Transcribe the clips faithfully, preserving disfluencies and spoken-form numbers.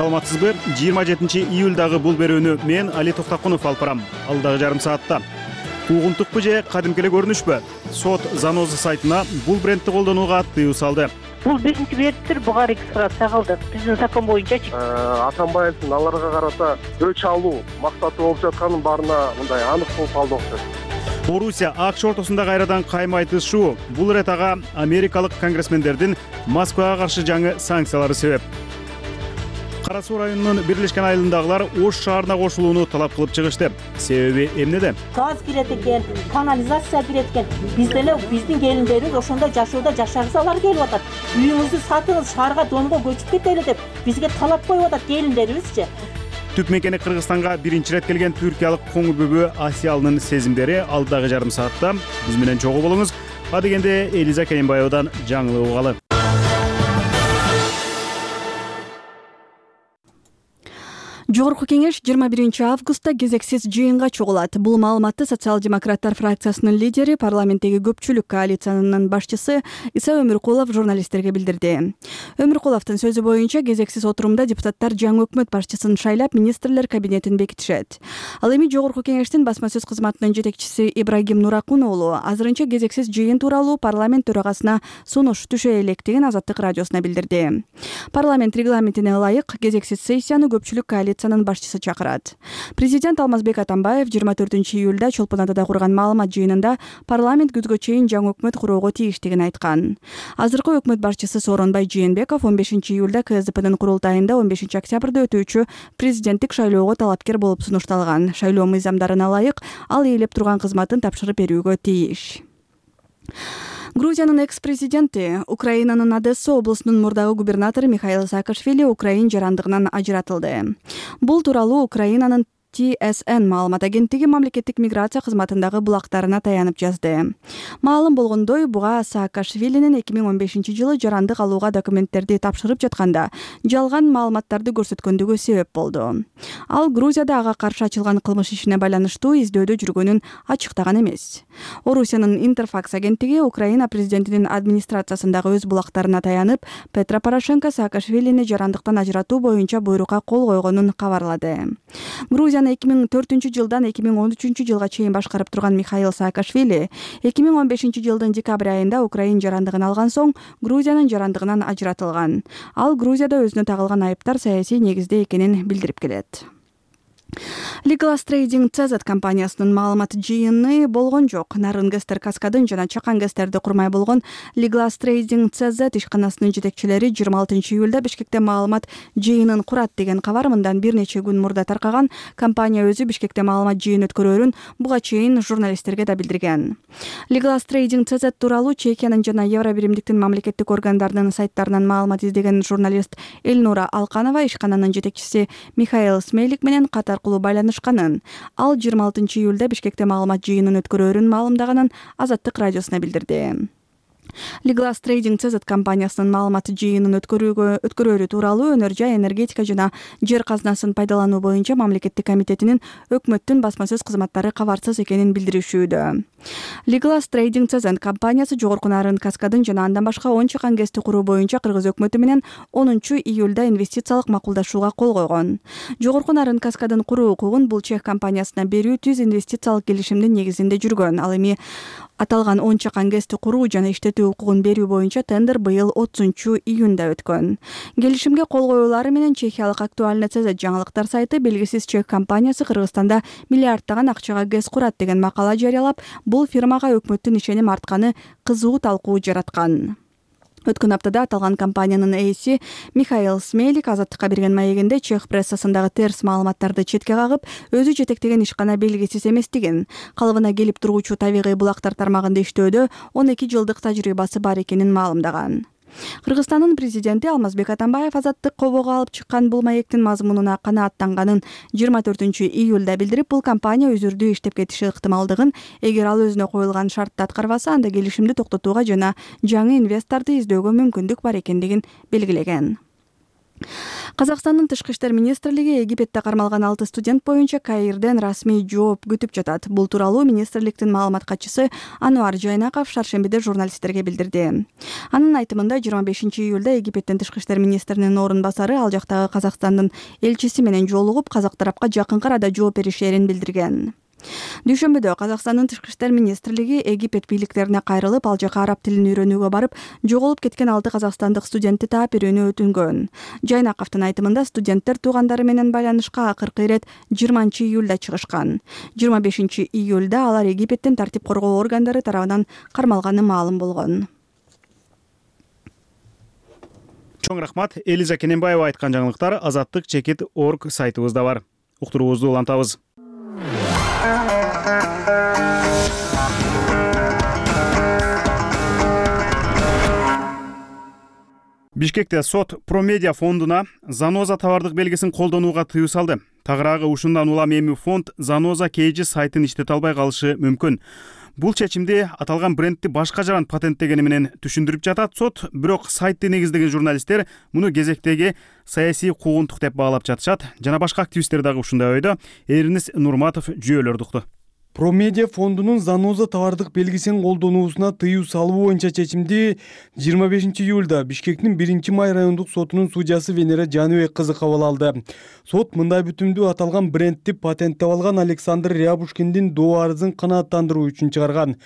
Саламатсызбы? жыйырма жетинчи июлдагы бул берүүнү мен Али Токтакунов алып барам. Алдагы жарым саатта куугунтукпу же кадимки эле көрүнүшпү? Сот Заноза сайтына бул брендти колдонууга тыюу салды. Бул биринчи бирдир, буга регистрация кылдык. Биздин закон боюнчачы. Атамбаевдин аларга карата өч алуу максаты болуп жатканын баарына мындай анык болуп калды окшойт. Орусия АКШ ортосунда кайрадан кайма айтышуу. Бул ирет ага америкалык конгрессмендердин Москвага каршы жаңы санкциялары себеп. Кара Суу районунун Бирлешкен айылындагылар Ош шаарына кошулууну талап кылып чыгышты. Себеби эмнеде? Газ кирет экен, канализация кирет экен. Биз деле биздин келиндерибиз ошондо жашоодо жашагысалар келип атат. Үйүңүздү сатыңыз, шаарга Донго көчүп кетели деп бизге талап коюп атат келиндерибизчи. Түп мекени Кыргызстанга биринчи ирет келген түркиялык коңу бүбү Асиялынын сезимдери алдагы жарым саатта. Биз менен чогуу болуңуз. Адегенде Элиза Керимбаевадан жаңылык угалы. Жогорку кеңеш жыйырма биринчи августта кезексиз жыйынга чогулат. Бул маалыматты социал-демократтар фракциясынын лидери, парламенттеги көпчүлүк коалициянын башчысы Иса Өмүркулов журналисттерге билдирди. Өмүркуловдун сөзү боюнча кезексиз отурумда депутаттар жаңы өкмөт башчысын шайлап, министрлер кабинетин бекитишет. Ал эми жогорку кеңештин басма сөз кызматынын жетекчиси Ибрагим Нуракун уулу азырынча кезексиз жыйын тууралуу парламент төрагасына сунуш түшө электигин Азаттык радиосуна билдирди. Парламент регламентине ылайык кезексиз сессияны көпчүлүк коалиция башчысы чакырат. Президент Алмазбек Атамбаев жыйырма төртүнчү июлда Чолпон Атада курган маалымат жыйынында парламент күзгө чейин жаңы өкмөт куроого тийиштигин айткан. Азыркы өкмөт башчысы Сооронбай Жээнбеков он бешинчи июлда КСДПнын курултайында он бешинчи октябрда өтүүчү президенттик шайлоого талапкер болуп сунушталган. Шайлоо мыйзамдарына ылайык ал ээлеп турган кызматын тапшырып берүүгө тийиш. Грузиянын экс-президенти, Украинанын Одесса облусунун мурдагы губернатору Михаил Саакашвили Украин жарандыгынан ажыратылды. Бул тууралуу Украинанын Ти Эс Эн маалымат агенттиги мамлекеттик миграция кызматындагы булактарына таянып жазды. Маалым болгондой, буга Саакашвилинин эки миң он бешинчи жылы жарандык алууга документтерди тапшырып жатканда жалган маалыматтарды көрсөткөндүгү себеп болду. Ал Грузияда ага каршы ачылган кылмыш ишине байланыштуу издөөдө жүргөнүн ачыктаган эмес. Орусиянын Интерфакс агенттиги Украина президентинин администрациясындагы өз булактарына таянып, Петро Порошенко Саакашвилини жарандыктан ажыратуу боюнча буйрукка кол койгонун кабарлады. Грузия эки миң төртүнчү жылдан эки миң он үчүнчү жылга чейин башкарып турган Михаил Саакашвили эки миң он бешинчи жылдын декабрь айында Украин жарандыгын алган соң Грузиянын жарандыгынан ажыратылган. Ал Грузияда өзүнө тагылган айыптар саясий негизде экенин билдирип келет. Legalas Trading Цэ Зэт компаниясынын маалымат жыйыны болгон жок. Нарын Гестер Каскадын жана Чакан Гестерди курмай болгон Legalas Trading Цэ Зэт ишканасынын жетекчилери жыйырма алтынчы июлда Бишкекте маалымат жыйынын курат деген кабар мындан бир нече күн мурда таркаган. Компания өзү Бишкекте маалымат жыйын өткөрөөрүн буга чейин журналисттерге да билдирген. Legalas Trading Цэ Зэт тууралуу Чехиянын жана Евробиримдиктин мамлекеттик органдарынын сайттарынан маалымат издеген журналист Эльнура Алканова ишкананын жетекчиси Михаил Смейлик менен катар байланышканын. Ал жыйырма алтынчы июлда Бишкекте маалымат жыйынын өткөрөөрүн маалымдаганын Азаттык радиосуна билдирди. Legalas Trading Цэ Зэт компаниясынын маалымат жыйынын өткөрүүгө өткөрөөрү тууралуу Өнөр жай, энергетика жана жер казынасын пайдалануу боюнча мамлекеттик комитетинин өкмөттүн басма сөз кызматтары кабарсыз экенин билдиришүүдө. Legalas Trading Цэ Зэт компаниясы жогорку Нарын Каскадын жана андан башка он Чакан Гести куруу боюнча Кыргыз өкмөтү менен онунчу июлда инвестициялык макулдашууга кол койгон. Жогорку Нарын Каскадын куруу укугун бул чех компаниясына берүү түз инвестициялык келишимдин негизинде жүргөн. Ал эми аталган он Чакан Гести куруу жана иштетүү укугун берүү боюнча тендер быйыл отузунчу июнда өткөн. Келишимге кол коюулары менен чехиялык Актуальный Цэ Зэт жаңылыктар сайты белгисиз чех компаниясы Кыргызстанда миллиардтаган акчага гез курат деген макала жарыялап, бул фирмага өкмөттүн ишеним артканы кызуу талкуу жараткан. Өткөн аптада аталган компаниянын ээси Михаил Смейлик Азаттыкка берген маегинде чех прессасындагы терс маалыматтарды четке кагып, өзү жетектеген ишкана белгисиз эместигин, калыбына келип тургучу табигый булактар тармагында иштөөдө он эки жылдык тажрыйбасы бар экенин маалымдаган. Кыргызстандын президенти Алмазбек Атамбаев Азаттык кобого алып чыккан бул маектин мазмунуна канааттанганын жыйырма төртүнчү июлда билдирип, бул компания үзүрдүү иштеп кетиши ыктымалдыгын, эгер ал өзүнө коюлган шартты аткарбаса, анда келишимди токтотууга жана жаңы инвесторду издөөгө мүмкүндүк бар экендигин белгилеген. Казакстандын тышкы иштер министрлиги Египетте кармалган алты студент боюнча Каирден расмий жооп күтүп жатат. Бул тууралуу министрликтин маалымат катчысы Ануар Жайнаков шаршембиде журналисттерге билдирди. Анын айтымында жыйырма бешинчи июлда Египеттин тышкы иштер министринин орун басары ал жактагы Казакстандын элчиси менен жолугуп, казак тарапка жакынкы арада жооп беришерин билдирген. Дүйшөмбүдө Казакстандын тышкы иштер министрлиги Египет бийликтерине кайрылып, ал жака араб тилин үйрөнүүгө барып, жоголуп кеткен алты казакстандык студентти таап берүүнү өтүнгөн. Жайнаковдун айтымында студенттер туугандары менен байланышка акыркы ирет жыйырманчы июлда чыгышкан. жыйырма бешинчи июлда алар Египеттин тартип коргоо органдары тарабынан кармалганы маалым болгон. Чоң рахмат. Элиза Кененбаева айткан жаңылыктар азаттык чекит точка орг сайтыбызда бар. Уктуруубузду улантабыз. Бишкекте сот Промедиа фондуна Заноза товардык белгисин колдонууга тыюу салды. Тагыраагы ушундан улам эми фонд Заноза Кейджи сайтын иштете албай калышы мүмкүн. Бул чечимди аталган брендти башка жаран патенттегени менен түшүндүрүп жатат сот, бирок сайтты негиздеген журналисттер муну кезектеги саясий куугунтук деп баалап жатышат. Жана башка активисттер дагы ушундай ойдо. Эринис Нурматов жүйөлөрдү укту. Промедиа фондунун Заноза товардык белгисин колдонуусуна тыюу салуу боюнча чечимди жыйырма бешинчи июлда Бишкектин биринчи май райондук сотунун судьясы Венера Жаныбек кызы кабыл алды. Сот мындай бүтүмдү аталган брендти патенттеп алган Александр Рябушкиндин доо арызын канааттандыруу үчүн чыгарган.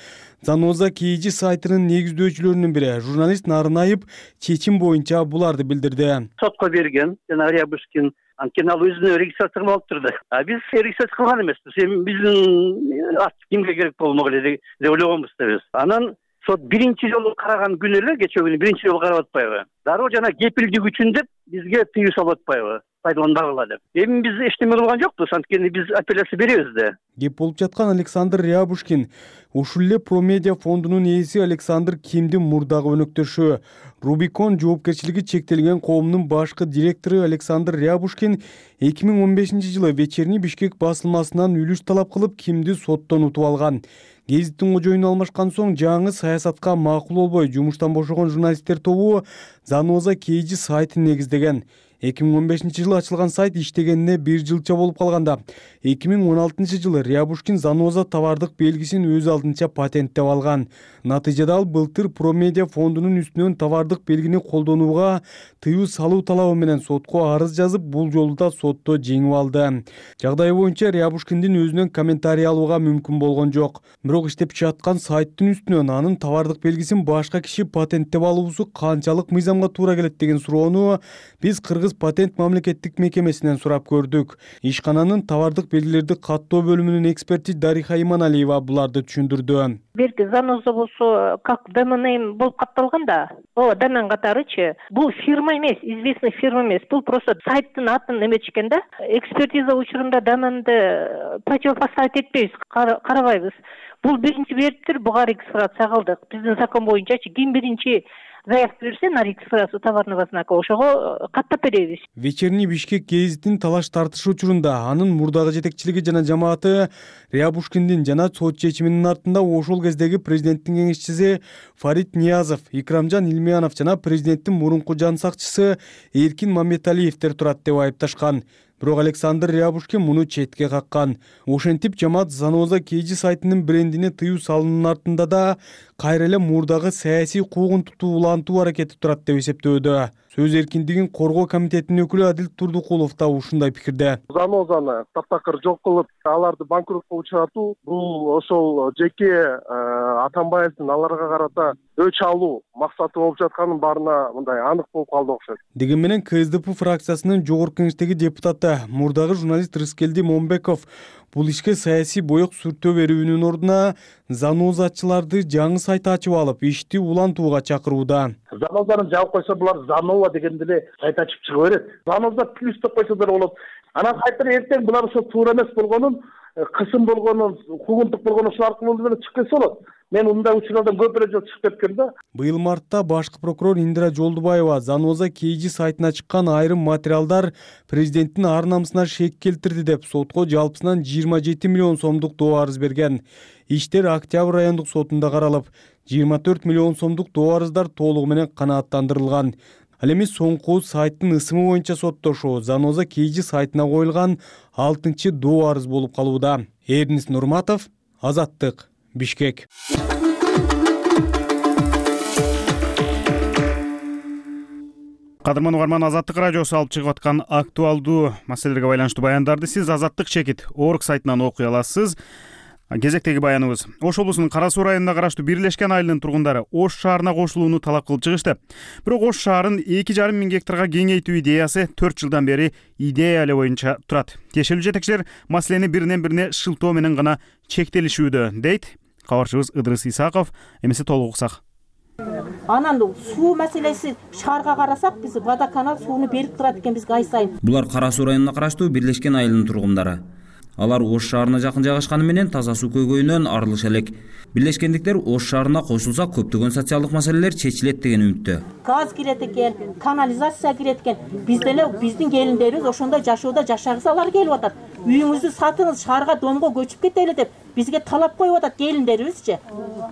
Заноза Кейджи сайтынын негиздөөчүлөрүнүн бири журналист Нарынаев чечим боюнча буларды билдирди. Сотко берген жана Рябушкин анткени ал өзүнө регистрация кылып алып турду. А биз регистрация кылган эмеспиз. Эми биздин ат кимге керек болмок эле деп ойлогонбуз да биз. Анан сот биринчи жолу караган күнү эле кечээ күнү биринчи жолу карап атпайбы? Дароо жана кепилдик үчүн деп бизге тыюу салып атпайбы? Пайдаланбагыла деп. Эми биз эчтеме кылган жокпуз, анткени биз апелляция беребиз да. Кеп болуп жаткан Александр Рябушкин ушул эле Промедиа фондунун ээси Александр Кимдин мурдагы өнөктөшү. Рубикон жоопкерчилиги чектелген коомдун башкы директору Александр Рябушкин эки миң он бешинчи жылы Вечерний Бишкек басылмасынан үлүш талап кылып Кимди соттон утуп алган. Гезиттин кожоюну алмашкан соң жаңы саясатка макул болбой жумуштан бошогон журналисттер тобу Заноза Кейджи сайтын негиздеген. эки миң он бешинчи жылы ачылган сайт иштегенине бир жылча болуп калганда эки миң он алтынчы жылы Рябушкин Заноза товардык белгисин өз алдынча патенттеп алган. Натыйжада ал былтыр Промедиа фондунун үстүнөн товардык белгини колдонууга тыюу салуу талабы менен сотко арыз жазып, бул жолу да сотто жеңип алды. Жагдай боюнча Рябушкиндин өзүнөн комментарий алууга мүмкүн болгон жок. Бирок иштеп жаткан сайттын үстүнөн анын товардык белгисин башка киши патенттеп алуусу канчалык мыйзамга туура келет деген суроону биз Кыргыз патент мамлекеттик мекемесинен сурап көрдүк. Ишкананын товардык белгилерди каттоо бөлүмүнүн эксперти Дариха Иманалиева буларды түшүндүрдү. Берки Заноза болсо как домен болуп катталган да. О, домен катарычы. Бул фирма эмес, известный фирма эмес. Бул просто сайттын атын эметишкен да. Экспертиза учурунда доменди противопоставить этпейбиз, карабайбыз. Бул биринчи бериптир, буга регистрация кылдык. Биздин закон боюнчачы ким биринчи заявка берсе на регистрацию товарного знака ошого каттап беребиз. Вечерний Бишкек гезитин талаш тартышы учурунда анын мурдагы жетекчилиги жана жамааты Рябушкиндин жана сот чечиминин артында ошол кездеги президенттин кеңешчиси Фарид Ниязов, Икрамжан Илмиянов жана президенттин мурунку жан сакчысы Эркин Мамметалиевдер турат деп айыпташкан. Бирок Александр Рябушкин муну четке каккан. Ошентип жамаат Заноза Кейджи сайтынын брендине тыюу салуунун артында да кайра эле мурдагы саясий куугунтукту улантуу аракети турат деп эсептөөдө. Сөз эркиндигин коргоо комитетинин өкүлү Адил Турдукулов да ушундай пикирде. Занозаны таптакыр жок кылып, аларды банкротко учуратуу бул ошол жеке Атамбаевдин аларга карата өч алуу максаты болуп жатканын баарына мындай анык болуп калды окшойт. Деген менен КСДП фракциясынын жогорку кеңештеги депутаты мурдагы журналист Рыскелди Момбеков бул ишке саясий боек сүртөө берүүнүн ордуна занозачыларды жаңы сайт ачып алып, ишти улантууга чакырууда. Занозаны жаап койсо булар Занова дегенде эле сайт ачып чыга берет. Заноза плюс деп койсолор болот. Анан сайттар эртең булар ошо туура эмес болгонун, кысым болгонун, куугунтук болгонун ошол аркылуу эле чыгып кетсе болот. Мен мындай учурлардан көп эле жол чыгып кеткем да. Быйыл мартта башкы прокурор Индира Жолдубаева Заноза Кейджи сайтына чыккан айрым материалдар президенттин ар намысына шек келтирди деп сотко жалпысынан жыйырма жети миллион сомдук доо арыз берген. Иштер Октябрь райондук сотунда каралып, жыйырма төрт миллион сомдук доо арыздар толугу менен канааттандырылган. Ал эми соңку сайттын ысымы боюнча соттошуу Заноза Кейжи сайтына коюлган алтынчы доо арыз болуп калууда. Эрнис Нурматов, Азаттык, Бишкек. Кадырман угарман, Азаттык радиосу алып чыгып аткан актуалдуу маселелерге байланыштуу баяндарды сиз азаттык чекит орг сайтынан окуй аласыз. Кезектеги баяныбыз: Ош облусунун Кара Суу районуна караштуу Бирлешкен айылынын тургундары Ош шаарына кошулууну талап кылып чыгышты. Бирок Ош шаарын эки жарым миң гектарга кеңейтүү идеясы төрт жылдан бери идея эле боюнча турат. Тиешелүү жетекчилер маселени биринен бирине шылтоо менен гана чектелишүүдө, дейт кабарчыбыз Ыдырыс Исаков. Эмесе толук уксак. Анан суу маселеси шаарга карасак, биз водоканал сууну берип турат экен бизге ай сайын. Булар Кара Суу районуна караштуу Бирлешкен айылынын тургундары. Алар Ош шаарына жакын жайгашканы менен таза суу көйгөйүнөн арылыша элек. Бирлешкендиктер Ош шаарына кошулса көптөгөн социалдык маселелер чечилет деген үмүттө. Газ кирет экен, канализация кирет экен. Биз деле биздин келиндерибиз ошондо жашоодо жашагысалар келип атат. Үйүңүздү сатыңыз, шаарга домго көчүп кетели деп бизге талап коюп атат келиндерибизчи.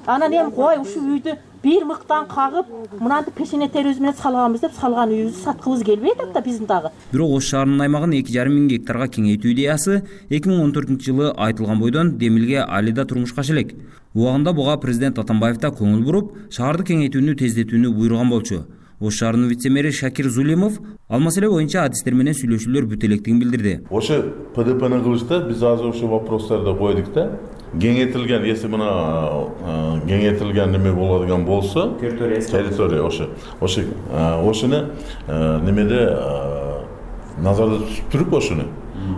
Анан эми кой ушул үйдү бир мыктан кагып, мынанды пешене терибиз менен салганбыз деп салган үйүбүздү саткыбыз келбей атат да биздин дагы. Бирок Ош шаарынын аймагын эки жарым миң гектарга кеңейтүү идеясы эки миң он төртүнчү жылы айтылган бойдон Демилге али да турмушка аша элек. Убагында буга президент Атамбаев да көңүл буруп, шаарды кеңейтүүнү тездетүүнү буйруган болчу. Ош шаарынын вице-мэри Шакир Зулимов ал маселе боюнча адистер менен сүйлөшүүлөр бүтө электигин билдирди. Ошо ПДПны кылышта биз азыр ошо вопростарды койдук да. Кеңейтилген, если мына кеңейтилген неме болadigan болсо, территория ошо, ошо ошону немеде назарда туруп ошону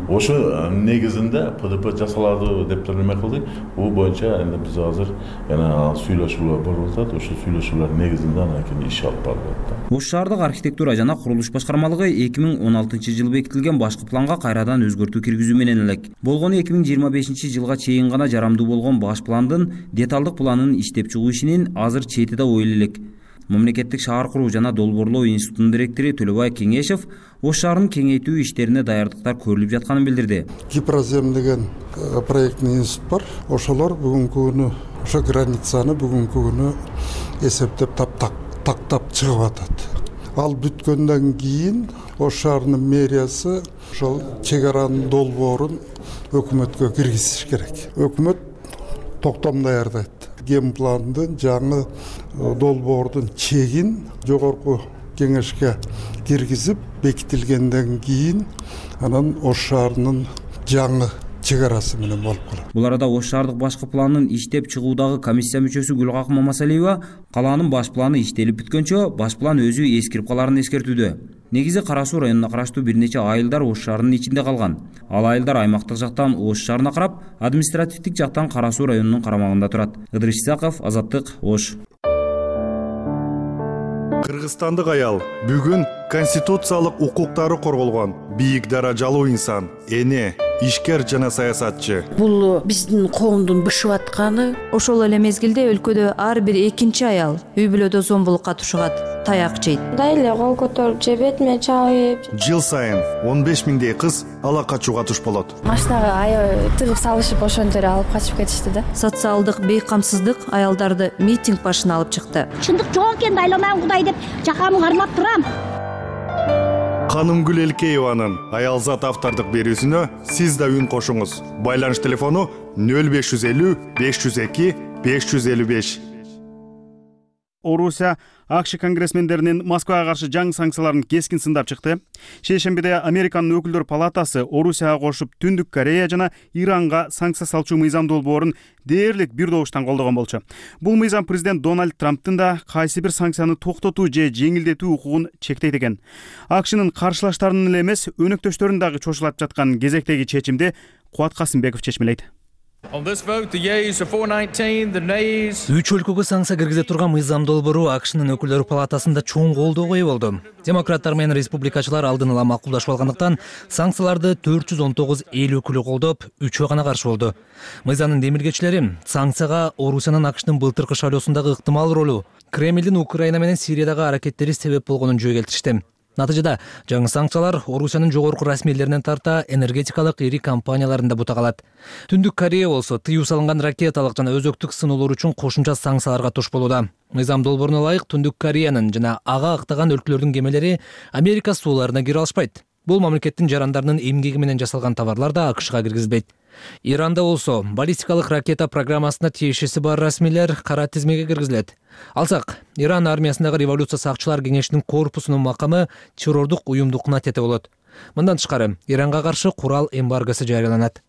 ошо негизинде ПДП жасалады деп неме кылдык. Бул боюнча эми биз азыр жана сүйлөшүүлөр болуп атат. Ошо сүйлөшүүлөр негизинде анан кийин иш алып барылат. Ош шаардык архитектура жана курулуш башкармалыгы эки миң он алтынчы жылы бекитилген башкы планга кайрадан өзгөртүү киргизүү менен элек. Болгону эки миң жыйырма бешинчи жылга чейин гана жарамдуу болгон баш пландын деталдык планын иштеп чыгуу ишинин азыр чети да ойлой элек. Мамлекеттик шаар куруу жана долбоорлоо институтунун директору Төлөбай Кеңешев Ош шаарын кеңейтүү иштерине даярдыктар көрүлүп жатканын билдирди. Гипрозем деген проектный институт бар. Ошолор бүгүнкү күнү ошо границаны бүгүнкү күнү эсептеп таптак тактап чыгып атат. Ал бүткөндөн кийин Ош шаарынын мэриясы ошол чек аранын долбоорун өкмөткө киргизиш керек. Өкмөт токтом даярдайт. Генпландын жаңы долбоордун чегин жогорку кеңешке киргизип бекитилгенден кийин анан Ош шаарынын жаңы чек арасы менен болуп калат. Бул арада Ош шаардык башкы планын иштеп чыгуудагы комиссия мүчөсү Гүлгак Мамасалиева калаанын баш планы иштелип бүткөнчө баш план өзү эскирип каларын эскертүүдө. Негизи Кара Суу районуна караштуу бир нече айылдар Ош шаарынын ичинде калган. Ал айылдар аймактык жактан Ош шаарына карап, административдик жактан Кара Суу районунун карамагында турат. Ыдырыс Исаков, Азаттык, Ош. Кыргызстандык аял бүгүн конституциялык укуктары корголгон бийик даражалуу инсан, эне, ишкер жана саясатчы. Бул биздин коомдун бышып атканы. Ошол эле мезгилде өлкөдө ар бир экинчи аял үй бүлөдө зомбулукка тушугат, таяк жейт. Дайле кол көтөрүп же бетиме чабып. Жыл сайын он беш миңдей кыз ала качууга туш болот. Машинага аябай тыгып салышып ошентип алып качып кетишти да. Социалдык бейкамсыздык аялдарды митинг башына алып чыкты. Чындык жок экен, айланам Кудай деп жакамды кармап турам. Канымгүл Элкееванын аялзат автордук берүүсүнө сиз да үн кошуңуз. Байланыш телефону нөл беш жүз элүү беш жүз эки беш жүз элүү беш. Орусия АКШ конгрессмендеринин Москвага каршы жаңы санкцияларын кескин сындап чыкты. Шейшембиде Американын өкүлдөр палатасы Орусияга кошуп Түндүк Корея жана Иранга санкция салчу мыйзам долбоорун дээрлик бир добуштан колдогон болчу. Бул мыйзам президент Дональд Трамптын да кайсы бир санкцияны токтотуу же жеңилдетүү укугун чектейт экен. АКШнын каршылаштарынын эле эмес, өнөктөштөрүн дагы чочулап жаткан кезектеги чечимди Кубат Касымбеков чечмелейт. Үч өлкөгө санкция киргизе турган мыйзам долбоору АКШнын өкүлдөр палатасында чоң колдоого ээ болду. Демократтар менен республикачылар алдын ала макулдашып алгандыктан санкцияларды төрт жүз он тогуз эл өкүлү колдоп, үчөө гана каршы болду. Мыйзамдын демилгечилери санкцияга Орусиянын АКШнын былтыркы шайлоосундагы ыктымал ролу, Кремлдин Украина менен Сириядагы аракеттери себеп болгонун жөө келтиришти. Натыйжада жаңы санкциялар Орусиянын жогорку расмийлеринен тарта энергетикалык ири компанияларын да бута калат. Түндүк Корея болсо тыюу салынган ракеталык жана өзөктүк сыноолор үчүн кошумча санкцияларга туш болууда. Мыйзам долбооруна ылайык Түндүк Кореянын жана ага ыктаган өлкөлөрдүн кемелери Америка сууларына кире алышпайт. Бул мамлекеттин жарандарынын эмгеги менен жасалган товарлар да АКШга киргизилбейт. Иранда болсо баллистикалык ракета программасына тиешеси бар расмийлер кара тизмеге киргизилет. Алсак, Иран армиясындагы революция сакчылар кеңешинин корпусунун макамы террордук уюмдукуна тете болот. Мындан тышкары, Иранга каршы курал эмбаргосу жарыяланат.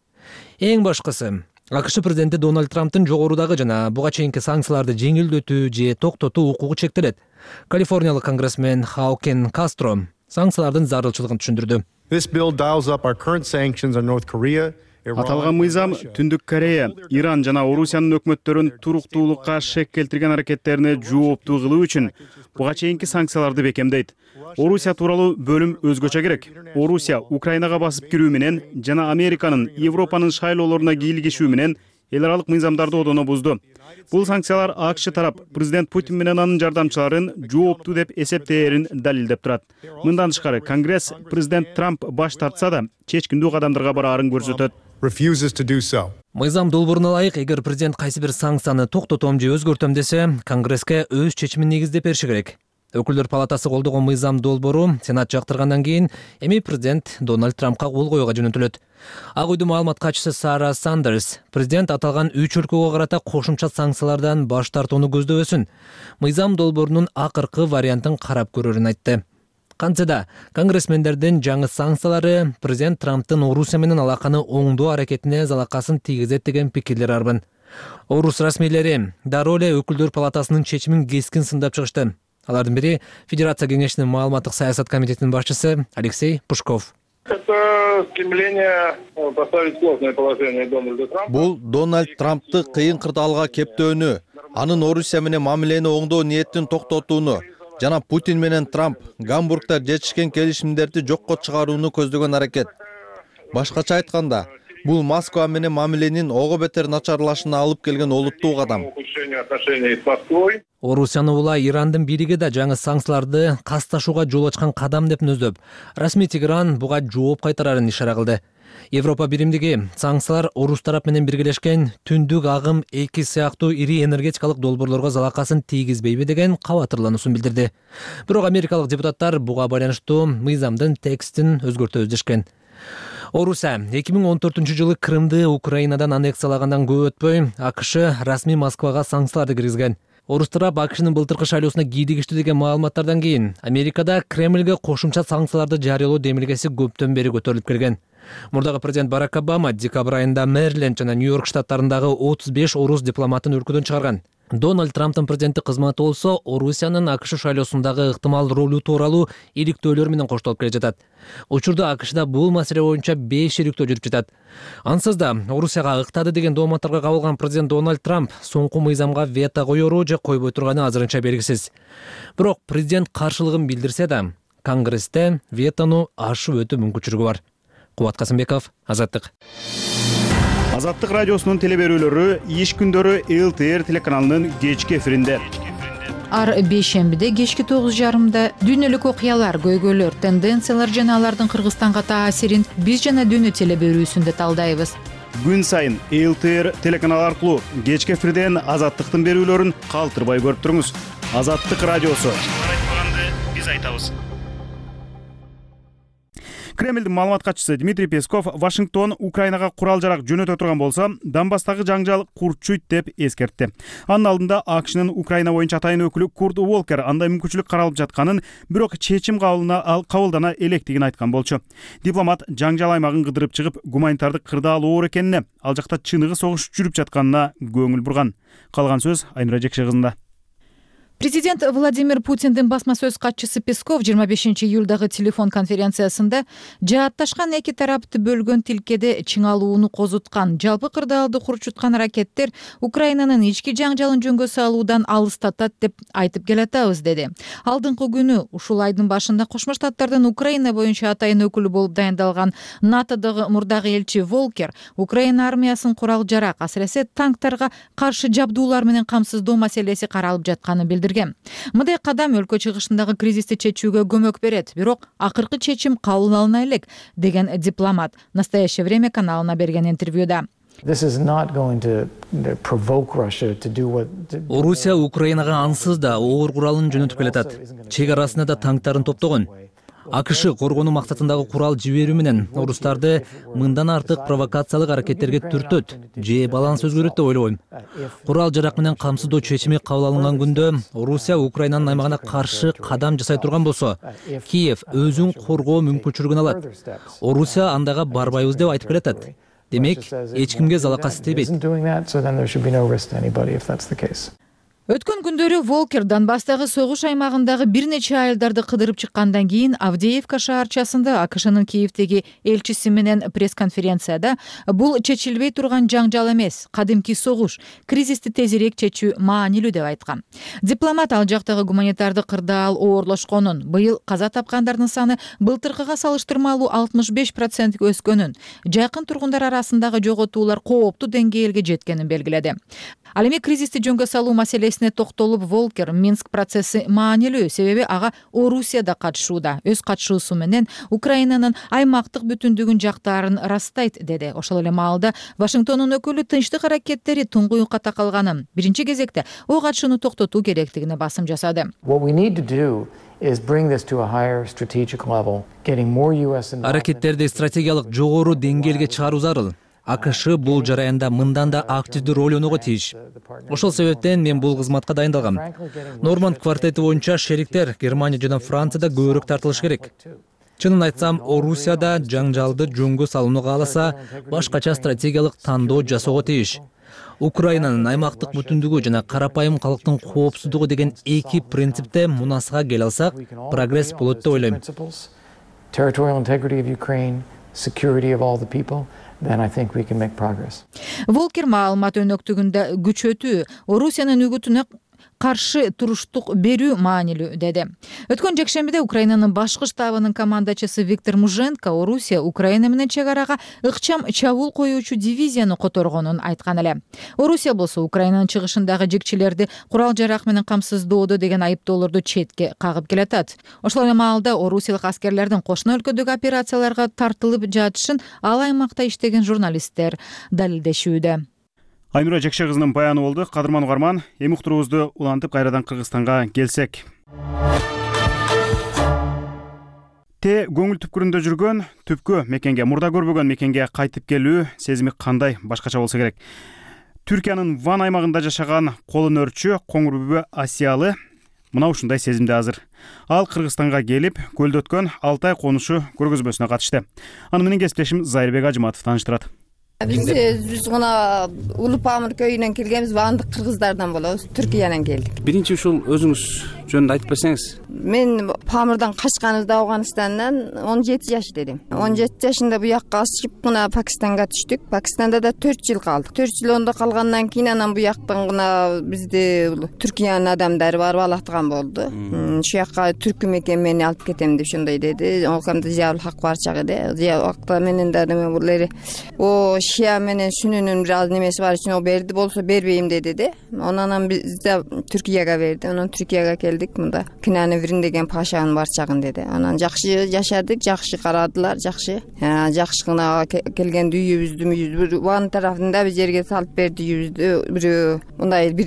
Эң башкысы, АКШ президенти Дональд Трамптын жогорудагы жана буга чейинки санкцияларды жеңилдетүү же токтотуу укугу чектелет. Калифорниялык конгрессмен Хаукен Кастро санкциялардын зарылчылыгын түшүндүрдү. Аталган мыйзам Түндүк Корея, Иран жана Орусиянын өкмөттөрүн туруктуулукка шек келтирген аракеттерине жооптуу кылуу үчүн буга чейинки санкцияларды бекемдейт. Орусия тууралуу бөлүм өзгөчө керек. Орусия Украинага басып кирүү менен жана Американын Европанын шайлоолоруна кийлигишүү менен эл аралык мыйзамдарды одоно бузду. Бул санкциялар АКШ тарап президент Путин менен анын жардамчыларын жооптуу деп эсептээрин далилдеп турат. Мындан тышкары, Конгресс президент Трамп баш тартса да чечкиндүү кадамдарга бараарын көрсөтөт. Мыйзам долбооруна ылайык, эгер президент кайсы бир санкцияны токтотом же өзгөртөм десе, Конгресске өз чечимин негиздеп бериши керек. Өкүлдөр палатасы колдогон мыйзам долбоору Сенат жактыргандан кийин эми президент Дональд Трампка кол коюуга жөнөтүлөт. Ак үйдүн маалымат катчысы Сара Сандерс президент аталган үч өлкөгө карата кошумча санкциялардан баш тартууну көздөбөсүн, мыйзам долбоорунун акыркы вариантын карап көрөрүн айтты. Кантсе да, конгрессмендердин жаңы санкциялары президент Трамптын Орусия менен алаканы оңдоо аракетине залакасын тийгизет деген пикирлер арбын. Орус расмийлери дароо эле өкүлдөр палатасынын чечимин кескин сындап чыгышты. Алардын бири Федерация кеңешинин маалыматтык саясат комитетинин башчысы Алексей Пушков. Это стремление поставить сложное положение Дональда Трампа. Бул Дональд Трампты кыйын кырдаалга кептөөнү, анын Орусия менен мамилени оңдоо ниетин токтотууну жана Путин менен Трамп Гамбургда жетишкен келишимдерди жокко чыгарууну көздөгөн аракет. Башкача айтканда, бул Москва менен мамиленин ого бетер начарлашына алып келген олуттуу кадам. Орусияны улай Ирандын бириги да жаңы санкцияларды касташууга жол ачкан кадам деп нөздөп, расмий Тегеран буга жооп кайтарарын ишара кылды. Европа биримдиги санкциялар Орус тарап менен биргелешкен Түндүк агым эки сыяктуу ири энергетикалык долбоорлорго залакасын тийгизбейби деген кабатырлануусун билдирди. Бирок америкалык депутаттар буга байланыштуу мыйзамдын текстин өзгөртөбүз дешкен. Орусия эки миң он төртүнчү жылы Крымды Украинадан аннексиялагандан көп өтпөй АКШ расмий Москвага санкцияларды киргизген. Орус тарап АКШнын былтыркы шайлоосуна кийлигиштүү деген маалыматтардан кийин Америкада Кремльге кошумча санкцияларды жарыялоо демилгеси көптөн бери көтөрүлүп келген. Мурдагы президент Барак Обама декабрь айында Мэриленд жана Нью-Йорк штаттарындагы отуз беш орус дипломатын өлкөдөн чыгарган. Дональд Трамптын президенттик кызматы болсо Орусиянын АКШ шайлоосундагы ыктымал ролу тууралуу иликтөөлөр менен коштолуп келе жатат. Учурда АКШда бул маселе боюнча беш иликтөө жүрүп жатат. Ансыз да Орусияга ыктады деген дооматтарга кабылган президент Дональд Трамп соңку мыйзамга вето коеру же койбой турганы азырынча белгисиз. Бирок президент каршылыгын билдирсе да, Конгрессте ветону ашып өтүү мүмкүнчүлүгү бар. Кубат Касымбеков, Азаттык. Азаттык радиосунун телеберүүлөрү иш күндөрү эл тэ эр телеканалынын кечки эфиринде. Ар бейшембиде кечки тогуз жарымда дүйнөлүк окуялар, көйгөйлөр, тенденциялар жана алардын Кыргызстанга таасирин биз жана дүйнө телеберүүсүндө талдайбыз. Күн сайын эл тэ эр телеканалы аркылуу кечки эфирден Азаттыктын берүүлөрүн калтырбай көрүп туруңуз. Азаттык радиосу. Айтпаганды биз айтабыз. Кремльдин маалымат катчысы Дмитрий Песков Вашингтон Украинага курал-жарак жөнөтө турган болсо, Донбасстагы жаңжал курчуйт деп эскертти. Анын алдында АКШнын Украина боюнча атайын өкүлү Курт Уолкер андай мүмкүнчүлүк каралып жатканын, бирок чечим кабылдана электигин айткан болчу. Дипломат жаңжал аймагын кыдырып чыгып, гуманитардык кырдаал оор экенине, ал жакта чыныгы согуш жүрүп жатканына көңүл бурган. Калган сөз Айнура Жекше кызында. Президент Владимир Путиндин басма сөз катчысы Песков жыйырма бешинчи июлдагы телефон конференциясында жаатташкан эки тарапты бөлгөн тилкеде чыңалууну козуткан, жалпы кырдаалды курчуткан аракеттер Украинанын ички жаңжалын жөнгө салуудан алыстатат деп айтып келатабыз, деди. Алдыңкы күнү ушул айдын башында Кошмо Штаттардын Украина боюнча атайын өкүлү болуп дайындалган НАТОдогу мурдагы элчи Волкер Украина армиясын курал-жарак, асыресе танктарга каршы жабдуулар менен камсыздоо маселеси каралып жатканын билдирди. билдирген. Мындай кадам өлкө чыгышындагы кризисти чечүүгө көмөк берет, бирок акыркы чечим кабыл алына элек, деген дипломат «Настоящее время» каналына берген интервьюда. Орусия Украинага ансыз да оор куралын жөнөтүп келатат. Чек арасында да танктарын топтогон. АКШ коргонуу максатындагы курал жиберүү менен орустарды мындан артык провокациялык аракеттерге түртөт же баланс өзгөрөт деп ойлобойм. Курал жарак менен камсыздоо чечими кабыл алынган күндө Орусия Украинанын аймагына каршы кадам жасай турган болсо, Киев өзүн коргоо мүмкүнчүлүгүн алат. Орусия андайга барбайбыз деп айтып келатат. Демек, эч кимге залакасы тийбейт. Өткөн күндөрү Волкер Донбасстагы согуш аймагындагы бир нече айылдарды кыдырып чыккандан кийин Авдеевка шаарчасында АКШнын Киевдеги элчиси менен пресс-конференцияда бул чечилбей турган жаңжал эмес, кадимки согуш, кризисти тезирээк чечүү маанилүү деп айткан. Дипломат ал жактагы гуманитарды кырдаал оорлошконун, быйыл каза тапкандардын саны былтыркыга салыштырмалуу алтымыш беш процентке өскөнүн, жакын тургундар арасындагы жоготуулар кооптуу деңгээлге жеткенин белгиледи. Ал эми кризисти жөнгө салуу маселесине токтолуп, Волкер Минск процесси маанилүү, себеби ага Орусия да катышууда. Өз катышуусу менен Украинанын аймактык бүтүндүгүн жактаарын ырастайт, деди. Ошол эле маалда Вашингтондун өкүлү тынчтык аракеттери туңгуюкка такалганын, биринчи кезекте ок атышууну токтотуу керектигине басым жасады. Аракеттерди стратегиялык жогору деңгээлге чыгаруу зарыл. АКШ бул жараянда мындан да активдүү роль ойногого тийиш. Ошол себептен мен бул кызматка дайындалгам. Норманд квартети боюнча шериктер Германия жана Францияда көбүрөөк тартылыш керек. Чынын айтсам, Орусияда жаңжалды жөнгө салууну кааласа, башкача стратегиялык тандоо жасоого тийиш. Украинанын аймактык бүтүндүгү жана карапайым калктын коопсуздугу деген эки принципте мунасага келе алсак, прогресс болот деп ойлойм. Then I think we can make progress. Волкер маалымат өнөктүгүндө күчөтүү, Орусиянын үгүтүнө каршы туруштук берүү маанилүү, деди. Өткөн жекшембиде Украинанын башкы штабынын командачысы Виктор Муженко Орусия Украина менен чек арага ыкчам чабуул коюучу дивизияны которгонун айткан эле. Орусия болсо Украинанын чыгышындагы жекчилерди курал жарак менен камсыздоодо деген айыптоолорду четке кагып келатат. Ошол эле маалда орусиялык аскерлердин кошуна өлкөдөгү операцияларга тартылып жатышын ал аймакта иштеген журналисттер далилдешүүдө. Айнура Жекше кызынын баяны болду. Кадырман угарман, эми уктуруубузду улантып кайрадан Кыргызстанга келсек. Те көңүл түпкүрүндө жүргөн, түпкү мекенге, мурда көрбөгөн мекенге кайтып келүү сезими кандай башкача болсо керек. Түркиянын Ван аймагында жашаган колун өрчү коңур бүбө Асиялы мына ушундай сезимде азыр. Ал Кыргызстанга келип, көлдө өткөн Алтай конушу көргөзмөсүнө катышты. Аны менен кесиптешим Зайырбек Ажыматов тааныштырат. Биз биз гана Улуу Памир кöyүнөн келгенбиз, баандык кыргыздардан болобуз, Түркиянан келдик. Биринчи ушул өзүңүз жөнүндө айтып берсеңиз. Мен Памирдан качканыбызда Афганистандан он жети жаш дедим. он жети жашында буякка ачып гана Пакистанга түштүк. Пакистанда да төрт жыл калдык. төрт жыл ондо калгандан кийин анан буяктан гана бизди Түркиянын адамдары барып алаттаган болду. Ушул жакка түркү мекен мени алып кетем деп ошондой деди. Ол камда Зиябыл Хак барчак эди. Зиябыл Хакта менен да булери о Шия менен Сүнүнүн бир аз немеси бар үчүн о берди, болсо бербейм деди де. Анан биз да Түркияга берди. Анан Түркияга келдик. Мында Кинаневрин деген пашанын барчагын деди. Анан жакшы жашадык, жакшы карадылар, жакшы. Жакшы гана келгенде үйүбүздү бир Ван тарафында бир жерге салып берди үйүбүздү. Бирөө мындай бир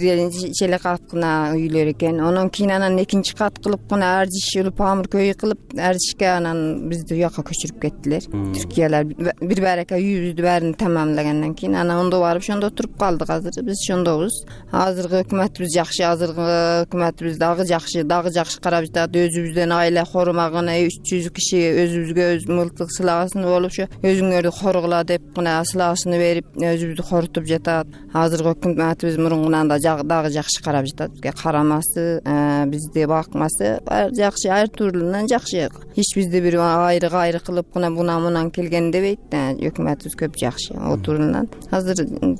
челе кат гана үйлөр экен. Анан кийин анан экинчи кат кылып гана Ардиш Улуу Памир көйү кылып, Ардишке анан бизди уякка көчүрүп кеттилер. Түркиялар бир барака үйүбүздү баарын тамамлагандан кийин анан ондо барып ошондо туруп калдык. Азыр биз ошондобуз. Азыркы өкмөтүбүз жакшы, азыркы өкмөтүбүз дагы жакшы, дагы жакшы карап жатат. Өзүбүздөн айла корумагына үч жүз киши өзүбүзгө өз мылтык сылагасын болуп, ошо өзүңөрдү коргула деп гана сылагасын берип, өзүбүздү корутуп жатат. Азыркы өкмөтүбүз мурункунан да дагы жакшы карап жатат. Бизге карамасы, бизди бакмасы жакшы, ар турлунан жакшы. Эч бизди бир айры кайры кылып гана буна мунан келген дебейт. Өкмөтүбүз көп жакшы. Отурунан азыр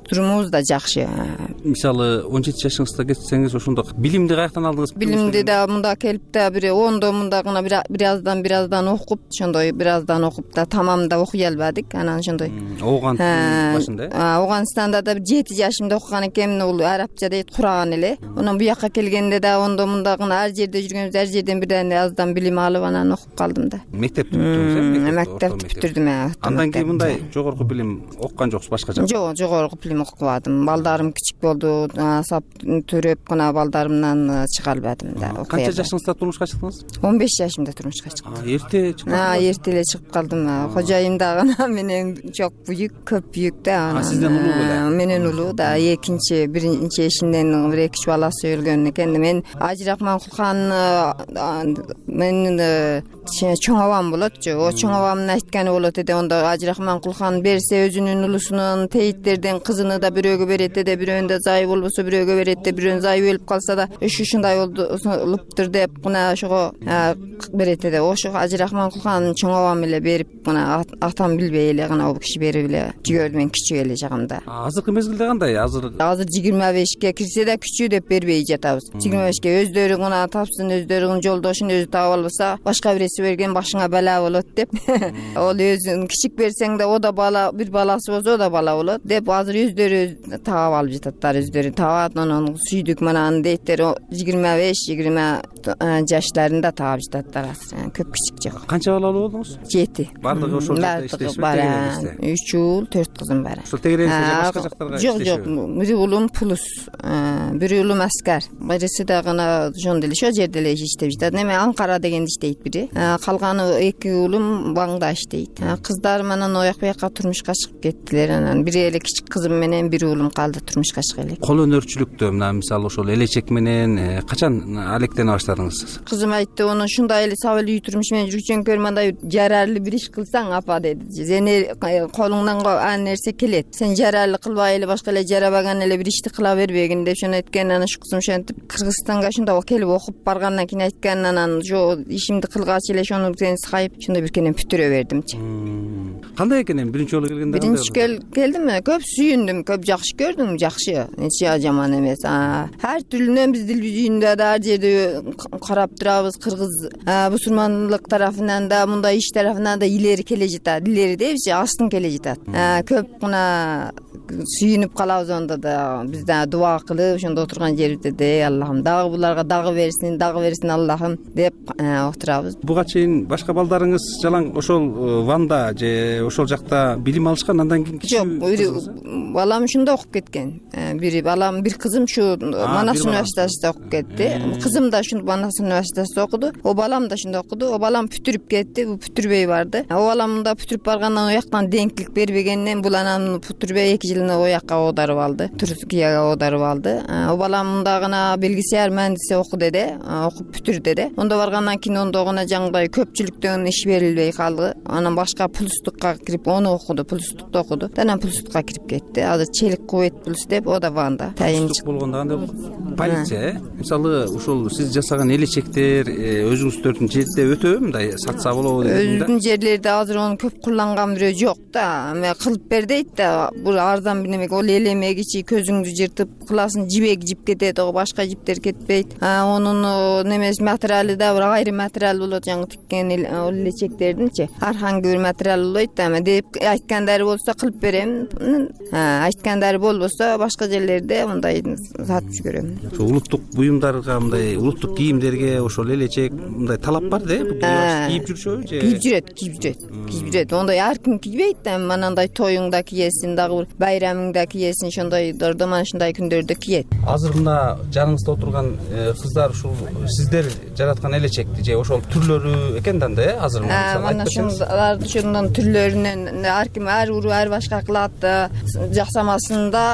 турумубуз да жакшы. Мисалы он жети жашыңызда кетсеңиз, ошондо билимди каяктан алдыңыз? Билимди Кийинди да мында келип да бир ондо мында гана бир аздан бир аздан окуп, ошондой бир аздан окуп да тамамда окуй албадык. Анан ошондой Ооганстандын башында э? Ооганстанда да бир жети жашымда окуган экенмин, бул арабча дейт, кураган эле. Анан буяка келгенде да ондо мында гана ар жерде жүргөнбүз, ар жерден бирден аздан билим алып анан окуп калдым да. Мектепти бүтүрдүңүз э? Мектепти бүтүрдүм. Андан кийин мындай жогорку билим окуган жоксуз башка жакта? Жок, жогорку билим окубадым. Балдарым кичик болду, сап төрөп гана балдарымдан чыга албадым да. Канча жашыңызда турмушка чыктыңыз? он беш жашымда турмушка чыктым. Эрте чыккан? Эрте эле чыгып калдым. Кожоюм дагы менен жок бүйүк, көп бүйүк да. Сизден улуу беле? Менен улуу да. Экинчи, биринчи эшинден бир эки үч баласы өлгөн экен. Мен Ажыракман Кулхан менин чоң абам болотчу. О чоң абамдын айтканы болот эди. Ондо Ажыракман Кулхан берсе өзүнүн улусунун тейиттерден кызыны да бирөөгө берет эди, бирөөнүндө зайы болбосо бирөөгө берет эди, бирөөнүн зайы өлүп калса да ушу ушундай болуптур деп мына ошого берет эди. Ошо Ажыракман Кулхан чоң абам эле берип, мына атам билбей эле гана ал киши берип эле жиберди, мен кичүү эле жагымда. Азыркы мезгилде кандай? Азыр азыр жыйырма бешке кирсе да күчүү деп бербей жатабыз. жыйырма бешке өздөрү гана тапсын, өздөрүнүн жолдошун өзү таап албаса, башка бирөөсү берген башыңа бала болот деп. Ол өзүн кичик берсең да о да бала, бир баласы болсо о да бала болот деп азыр өздөрү таап алып жататтар, өздөрү таап анан сүйдүк манан дейттер. жыйырма беш жыйырма жаштарында таап жататтар. Көп кичик жок. Канча балалуу болдуңуз? жети. Бардыгы ошол жакта иштейсизби? үч уул, төрт кызым бар. Ошол тегереңизде башка жактарга иштешеби? Жок, жок. Бир уулум пулус, бир уулум аскар. Бириси да гана ошондо эле ошол жерде эле иштеп жатат. Неме Анкара дегенде иштейт бири. Калганы эки уулум Баңда иштейт. Кыздарым анан ояк буяка турмушка чыгып кеттилер. Анан бир эле кичик кызым менен бир уулум калды турмушка чыга элек. Кол өнөрчүлүктө мына мисалы ошол элечек менен качан алектене баштадыңыз? Кызым айтты, ону ушундай эле сап эле үй турмуш менен жүрчөңкөр, мындай жарарлы бир иш кылсаң апа деди. Сен колуңдан ан нерсе келет. Сен жарарлы кылбай эле башка эле жарабаган эле бир ишти кыла бербегин деп ошону айткан. Анан ушу кызым ошентип Кыргызстанга ошондо келип окуп баргандан кийин айткан. Анан жо ишимди кылгач эле ошону сен сайып ошондо бир кенен бүтүрө бердимчи. Кандай экен эми биринчи жолу келгенде? Биринчи келдим, көп сүйүндүм, көп жакшы көрдүм, жакшы. Эч жаман эмес. Ар түрүнөн биз телевизиондо да ар жерде карап турабыз. Кыргыз бусурмандык тарафынан да, мындай иш тарафынан да илери келе жатат. Илери депчи, астын келе жатат. Көп гана сүйүнүп калабыз ондо да. Биз да дуа кылып ошондо отурган жерибизде де Аллахым дагы буларга дагы берсин, дагы берсин Аллахым деп отурабыз. Буга чейин башка балдарыңыз жалаң ошол Ванда же ошол жакта билим алышкан, андан кийин жок, балам ушунда окуп кеткен. Бири балам, бир кызым ушу Манас университетинде окуп кетти. Кызым да ушул Манас университетинде окуду. О балам да ушунда окуду. О балам бүтүрүп кетти, бу бүтүрбөй барды. О балам да бүтүрүп баргандан ояктан деңкилик бербегенден бул анан бүтүрбөй эки жылын оякка оодарып алды. Түркияга оодарып алды. О балам да гана белгисияр мендиси окуду деди, окуп бүтүрдү деди. Ондо баргандан кийин ондо гана жаңгыдай көпчүлүктөн иш берилбей калды. Анан башка пулстукка кирип ону окуду, пулстукта окуду. Анан пулстукка кирип кетти. Азыр Челик Кувейт пулс деп, о да Ванда. Пулстук болгондо кандай полиция, э? Мисалы ушул сиз жасаган элечектер өзүңүздөрдүн жерде өтөбү мындай сатса болобу дегенде? Өзүнүн жерлерде азыр ону көп кулланган бирөө жок да. Эме кылып бер дейт да. Бул арзан бир неме, ол элемегичи көзүңдү жыртып кыласың, жибек жип кетет, о башка жиптер кетпейт. Онун немеси материалы да бир айрым материал болот, жаңы тиккен элечектердинчи. Ар кандай бир материал болот да. Эме деп айткандары болсо кылып берем. Айткандары болбосо башка жерлерде мындай сатып жүрөм. Ошо улуттук буюмдарга, мындай улуттук кийимдерге ошол элечек мындай талап бар да, кийип жүрүшөбү же? Кийип жүрөт, кийип жүрөт. Кийип жүрөт. Ондай ар ким кийбейт да. Манандай тоюңда кийесиң, дагы бир байрамыңда кийесиң, ошондой дордоман ушундай күндөрдө киет. Азыр мына жаныңызда отурган кыздар ушул сиздер жараткан элечекти же ошол түрлөрү экен да, э? Азыр мына ушулар ошондон түрлөрүнөн ар ким ар уруу ар башка кылат. Жасамасында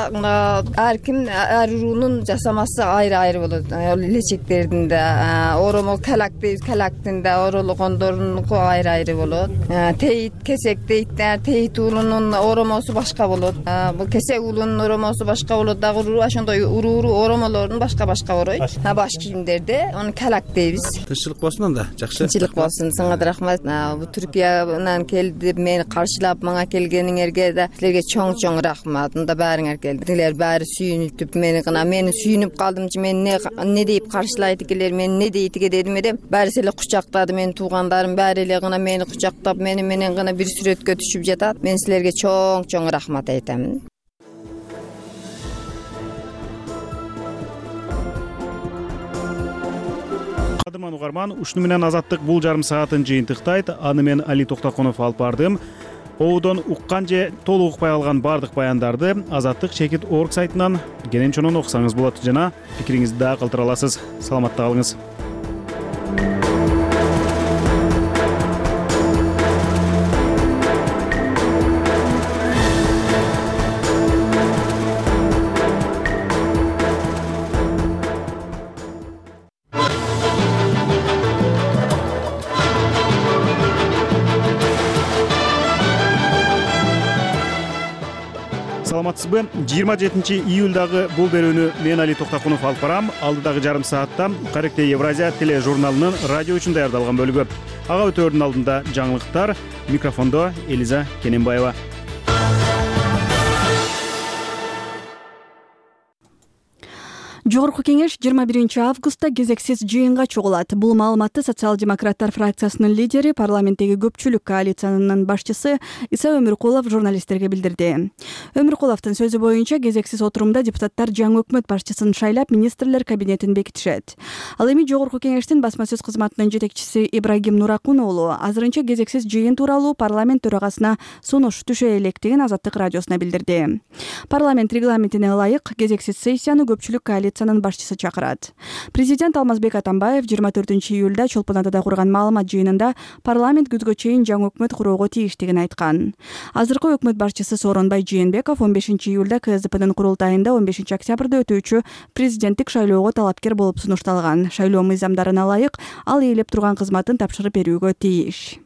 ар ким ар уруунун жасамасы айры-айры болот. Элечектердин да оромо калак дейбиз, калактын да оролгондорунуку айры-айры болот. Тейит, кесек дейт да, тейит уулунун оромосу башка болот. Бул кесек уулунун оромосу башка болот. Дагы ошондой уруу уруу оромолорун башка башка оройт. А баш кийимдерде аны калак дейбиз. Тынччылык болсун анда, жакшы. Тынччылык болсун, сага да рахмат. Бу Түркиянан келди, мени каршылап мага келгениңерге да силерге чоң-чоң рахмат. Мында баарыңар келди. Силер баары сүйүнүп мени гана мени сүйүнүп калдымчы, мен не не деп каршылайт экенлер, мен не дейт эке дедим эле. Баарысы эле кучактады, менин туугандарым баары эле гана мени кучактап, мени менен гана бир сүрөткө түшүп жатат. Мен силерге чоң-чоң рахмат айтам. Кадырман угарман, ушуну менен Азаттык бул жарым саатын жыйынтыктайт. Аны мен Али Токтокунов алып бардым. Оодон уккан же толук укпай алган бардык баяндарды Азаттык чекит орг сайтынан кенен чонон окусаңыз болот жана пикириңизди да калтыра аласыз. Саламатта калыңыз. Саламатсызбы? жыйырма жетинчи июлдагы бул берүүнү мен Али Токтокунов алып барам. Алдыдагы жарым саатта Каректе Евразия тележурналынын радио үчүн даярдалган бөлүгү. Ага өтөөрдүн алдында жаңылыктар. Микрофондо Элиза Кененбаева. Жогорку кеңеш жыйырма биринчи августта кезексиз жыйынга чогулат. Бул маалыматты социал-демократтар фракциясынын лидери, парламенттеги көпчүлүк коалициянын башчысы Иса Өмүркулов журналисттерге билдирди. Өмүркуловдун сөзү боюнча, кезексиз отурумда депутаттар жаңы өкмөт башчысын шайлап, министрлер кабинетин бекитишет. Ал эми жогорку кеңештин басма сөз кызматынын жетекчиси Ибрагим Нуракун уулу азырынча кезексиз жыйын тууралуу парламент төрагасына сунуш түшө электигин Азаттык радиосуна билдирди. Парламент регламентине ылайык кезексиз сессияны көпчүлүк коалиция башчысы чакырат. Президент Алмазбек Атамбаев жыйырма төртүнчү июлда Чолпон Атада курган маалымат жыйынында парламент күзгө чейин жаңы өкмөт куроого тийиштигин айткан. Азыркы өкмөт башчысы Сооронбай Жээнбеков он бешинчи июлда КСДПнын курултайында он бешинчи октябрда өтүүчү президенттик шайлоого талапкер болуп сунушталган. Шайлоо мыйзамдарына ылайык ал ээлеп турган кызматын тапшырып берүүгө тийиш.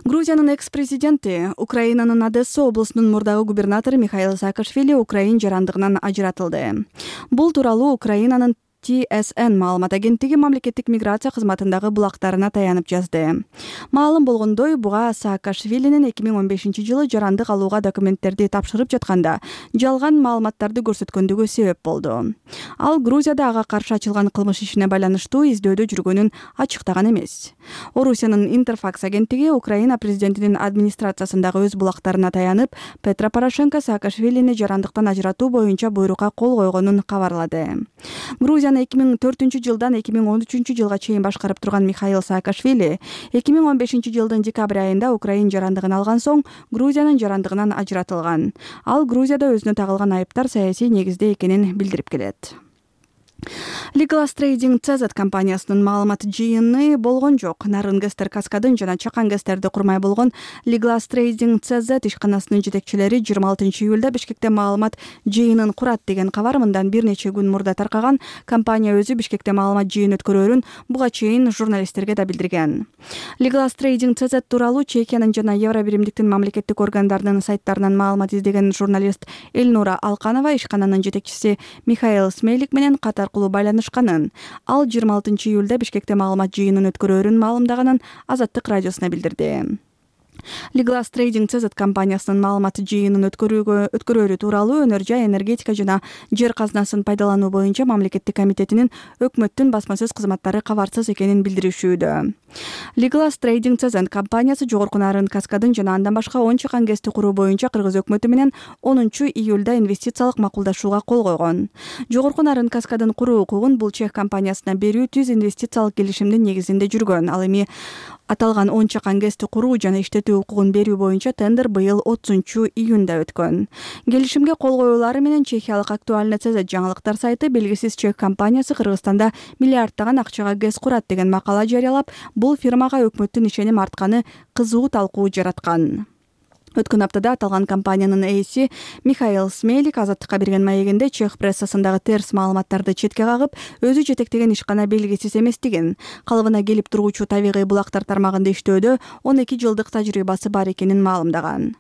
Грузиянын экс-президенти, Украинанын Одесса облусунун мурдагы губернатору Михаил Саакашвили Украин жарандыгынан ажыратылды. Бул тууралуу Украинанын Ти Эс Эн маалымат агенттиги мамлекеттик миграция кызматындагы булактарына таянып жазды. Маалым болгондой, буга Саакашвилинин эки миң он бешинчи жылы жарандык алууга документтерди тапшырып жатканда жалган маалыматтарды көрсөткөндүгү себеп болду. Ал Грузияда ага каршы ачылган кылмыш ишине байланыштуу издөөдө жүргөнүн ачыктаган эмес. Орусиянын Интерфакс агенттиги Украина президентинин администрациясындагы өз булактарына таянып, Петро Порошенко Саакашвилини жарандыктан ажыратуу боюнча буйрукка кол койгонун кабарлады. Грузияны эки миң төртүнчү жылдан эки миң он үчүнчү жылга чейин башкарып турган Михаил Саакашвили эки миң он бешинчи жылдын декабрь айында Украин жарандыгын алган соң Грузиянын жарандыгынан ажыратылган. Ал Грузияда өзүнө тагылган айыптар саясий негизде экенин билдирип келет. Legal Trading Цэ Зэт компаниясынын маалымат жыйыны болгон жок. Нарын Гестер Каскадын жана Чакан Гестерди курмай болгон Legal Trading Цэ Зэт ишканасынын жетекчилери жыйырма алтынчы июлда Бишкекте маалымат жыйынын курат деген кабар мындан бир нече күн мурда таркаган. Компания өзү Бишкекте маалымат жыйын өткөрөөрүн буга чейин журналисттерге да билдирген. Legal Trading Цэ Зэт тууралуу Чехиянын жана Евро биримдиктин мамлекеттик органдарынын сайттарынан маалымат издеген журналист Эльнура Алканова ишкананын жетекчиси Михаил Смейлик менен катар байланышканын. Ал жыйырма алтынчы июлда Бишкекте маалымат жыйынын өткөрөөрүн маалымдаганын Азаттык радиосуна билдирди. Legal Trading Цэ Зэт компаниясынын маалымат жыйынын өткөрүүгө өткөрөөрү тууралуу Өнөр жай, энергетика жана жер казынасын пайдалануу боюнча мамлекеттик комитетинин өкмөттүн басма сөз кызматтары кабарсыз экенин билдиришүүдө. Legal Trading Цэ Зэт компаниясы жогорку Нарын Каскадын жана андан башка он Чакан Гести куруу боюнча Кыргыз өкмөтү менен онунчу июлда инвестициялык макулдашууга кол койгон. Жогорку Нарын Каскадын куруу укугун бул чех компаниясына берүү түз инвестициялык келишимдин негизинде жүргөн. Ал эми аталган он Чакан Гести куруу жана иштетүү укугун берүү боюнча тендер быйыл отузунчу июнда өткөн. Келишимге кол коюулары менен чехиялык Актуальный Цэ Зэт жаңылыктар сайты белгисиз чех компаниясы Кыргызстанда миллиарддаган акчага гез курат деген макала жарыялап, бул фирмага өкмөттүн ишеним артканы кызуу талкуу жараткан. Өткөн аптада аталган компаниянын ээси Михаил Смейлик Азаттыкка берген маегинде чех прессасындагы терс маалыматтарды четке кагып, өзү жетектеген ишкана белгисиз эместигин, калыбына келип туруучу табигый булактар тармагында иштөөдө он эки жылдык тажрыйбасы бар экенин маалымдаган.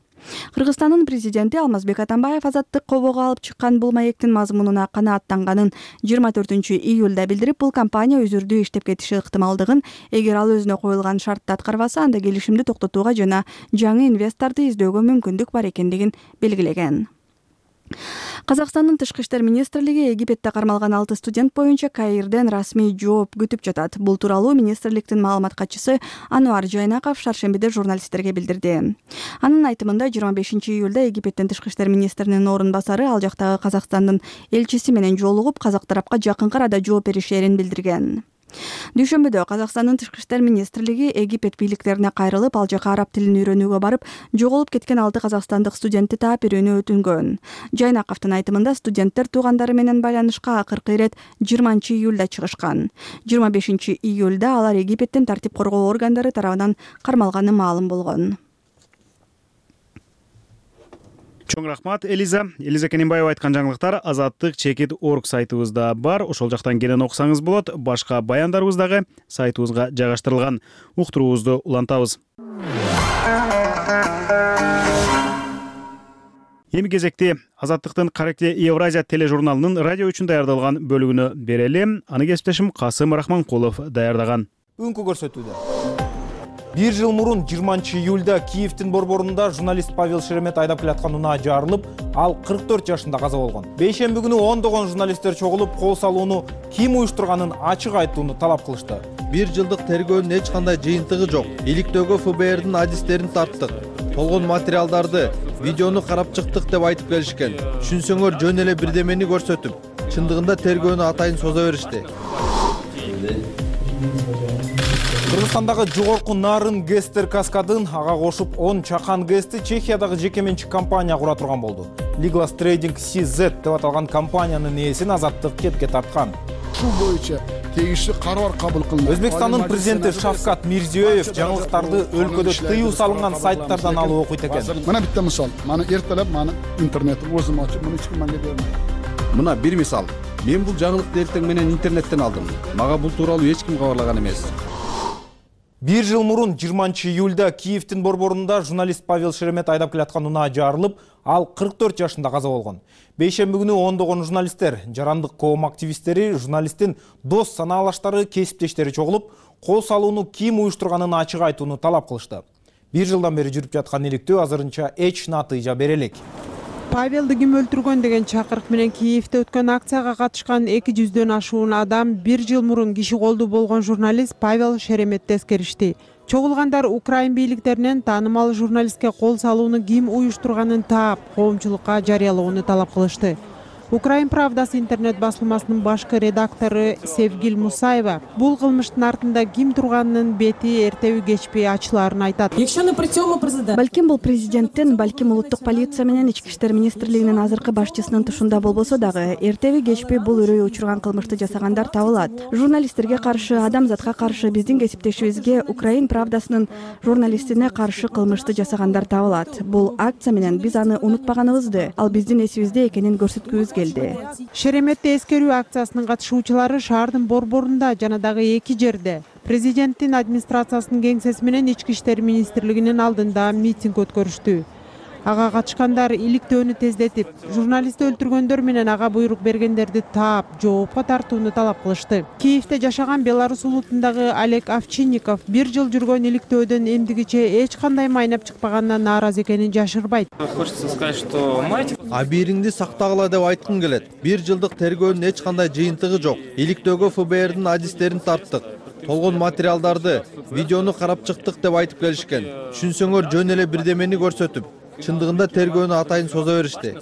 Кыргызстандын президенти Алмазбек Атамбаев азаттык кобого алып чыккан бул маектин мазмунуна канааттанганын жыйырма төртүнчү июлда билдирип, бул компания үзүрдүү иштеп кетиши ыктымалдыгын, эгер ал өзүнө коюлган шартты аткарбаса, анда келишимди токтотууга жана жаңы инвесторду издөөгө мүмкүндүк бар экендигин белгилеген. Казакстандын тышкы иштер министрлиги Египетте кармалган алты студент боюнча Каирден расмий жооп күтүп жатат. Бул тууралуу министрликтин маалымат катчысы Ануар Жайнаков шаршембиде журналисттерге билдирди. Анын айтымында жыйырма бешинчи июлда Египеттин тышкы иштер министринин орун басары ал жактагы Казакстандын элчиси менен жолугуп, казак тарапка жакынкы арада жооп беришерин билдирген. Дүйшөмбүдө Казакстандын тышкы иштер министрлиги Египет бийликтерине кайрылып, ал жака араб тилин үйрөнүүгө барып, жоголуп кеткен алты казакстандык студентти таап берүүнү өтүнгөн. Жайнаковдун айтымында студенттер туугандары менен байланышка акыркы ирет жыйырманчы июлда чыгышкан. жыйырма бешинчи июлда алар Египеттин тартип коргоо органдары тарабынан кармалганы маалым болгон. Чоң рахмат, Элиза. Элиза Кененбаева айткан жаңылыктар азаттык чекит орг сайтыбызда бар. Ошол жактан келен окусаңыз болот. Башка баяндарыбыз дагы сайтыбызга жайгаштырылган. Уктуруубузду улантабыз. Эми кезекти Азаттыктын Каракте Евразия тележурналынын радио үчүн даярдалган бөлүгүнө берели. Аны кесиптешим Касым Рахманкулов даярдаган. Үңкү көрсөтүүдө. Бир жыл мурун жыйырманчы июлда Киевдин борборунда журналист Павел Шеремет айдап келаткан унаа жарылып, ал кырк төрт жашында каза болгон. Бейшемби күнү ондогон журналисттер чогулуп, кол салууну ким уюштурганын ачык айтууну талап кылышты. Бир жылдык тергөөнүн эч кандай жыйынтыгы жок. Иликтөөгө эф бэ эрдин адистерин тарттык. Толгон материалдарды, видеону карап чыктык деп айтып келишкен. Түшүнсөңөр жөн эле бирдемени көрсөтүп, чындыгында тергөөнү атайын соза беришти. Кыргызстандагы жогорку нарын Гестер каскадын ага кошуп он чакан гэсти Чехиядагы жеке менчик компания кура турган болду. Liglas Trading си зет деп аталган компаниянын ээсин азаттык кепке тарткан. Ушул боюнча тегиштүү карар кабыл кылынды. Өзбекстандын президенти Шавкат Мирзиёев жаңылыктарды өлкөдө тыюу салынган сайттардан алып окуйт экен. Мына битте мисал. Мана эртелеп мана интернетти өзүм ачып, муну эч ким мага бербейт. Мына бир мисал. Мен бул жаңылыкты эртең менен интернеттен алдым. Мага бул тууралуу эч ким кабарлаган эмес. Бир жыл мурун жыйырманчы июлда Киевдин борборунда журналист Павел Шеремет айдап келаткан унаа жарылып, ал кырк төрт жашында каза болгон. Бейшемби күнү ондогон журналисттер, жарандык коом активисттери, журналисттин дос санаалаштары, кесиптештери чогулуп, кол салууну ким уюштурганын ачык айтууну талап кылышты. Бир жылдан бери жүрүп жаткан иликтөө азырынча эч натыйжа бере элек. Павелди ким өлтүргөн деген чакырык менен Киевде өткөн акцияга катышкан эки жүздөн ашуун адам бир жыл мурун киши колду болгон журналист Павел Шереметти эскеришти. Чогулгандар Украин бийликтеринен таанымал журналистке кол салууну ким уюштурганын таап, коомчулукка жарыялоону талап кылышты. Украин Правдасы интернет басылмасынын башкы редактору Севгил Мусаева бул кылмыштын артында ким турганынын бети эртеби кечпи ачылаарын айтат. Балким бул президенттин, балким улуттук полиция менен ички иштер министрлигинин азыркы башчысынын тушунда болбосо дагы, эртеби кечпи бул үрөй учурган кылмышты жасагандар табылат. Журналисттерге каршы, адамзатка каршы, биздин кесиптешибизге, Украин Правдасынын журналистине каршы кылмышты жасагандар табылат. Бул акция менен биз аны унутпаганыбызды, ал биздин эсибизде экенин көрсөткүбүз келди. Шереметти эскерүү акциясынын катышуучулары шаардын борборунда жана дагы эки жерде президенттин администрациясынын кеңсеси менен ички иштер министрлигинин алдында митинг өткөрүштү. Ага катышкандар иликтөөнү тездетип, журналистти өлтүргөндөр менен ага буйрук бергендерди таап, жоопко тартууну талап кылышты. Киевде жашаган Беларусь улутундагы Олег Овчинников бир жыл жүргөн иликтөөдөн эмдигиче эч кандай майнап чыкпаганына нааразы экенин жашырбайт. Хочется сказать, что мать абийириңди сактагыла деп айткым келет. Бир жылдык тергөөнүн эч кандай жыйынтыгы жок. Иликтөөгө эф бэ эрдин адистерин тарттык. Толгон материалдарды, видеону карап чыктык деп айтып келишкен. Түшүнсөңөр жөн эле бирдемени көрсөтүп, чындыгында тергөөнү атайын соза беришти.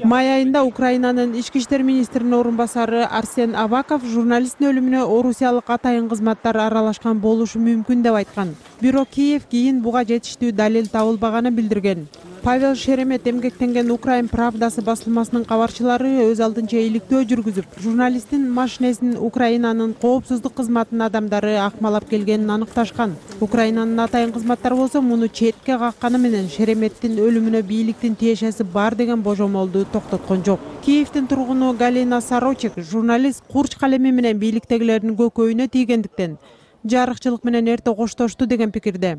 Май айында Украинанын ички иштер министринин орун басары Арсен Аваков журналисттин өлүмүнө орусиялык атайын кызматтар аралашкан болушу мүмкүн деп айткан. Бирок Киев кийин буга жетиштүү далил табылбаганын билдирген. Павел Шеремет эмгектенген Украин Правдасы басылмасынын кабарчылары өз алдынча иликтөө жүргүзүп, журналисттин машинесин Украинанын коопсуздук кызматынын адамдары акмалап келгенин аныкташкан. Украинанын атайын кызматтары болсо муну четке какканы менен Шереметтин өлүмүнө бийликтин тиешеси бар деген божомолду токтоткон жок. Киевдин тургуну Галина Сорочек журналист курч калеми менен бийликтегилердин көкөйүнө тийгендиктен жарыкчылык менен эрте коштошту деген пикирде.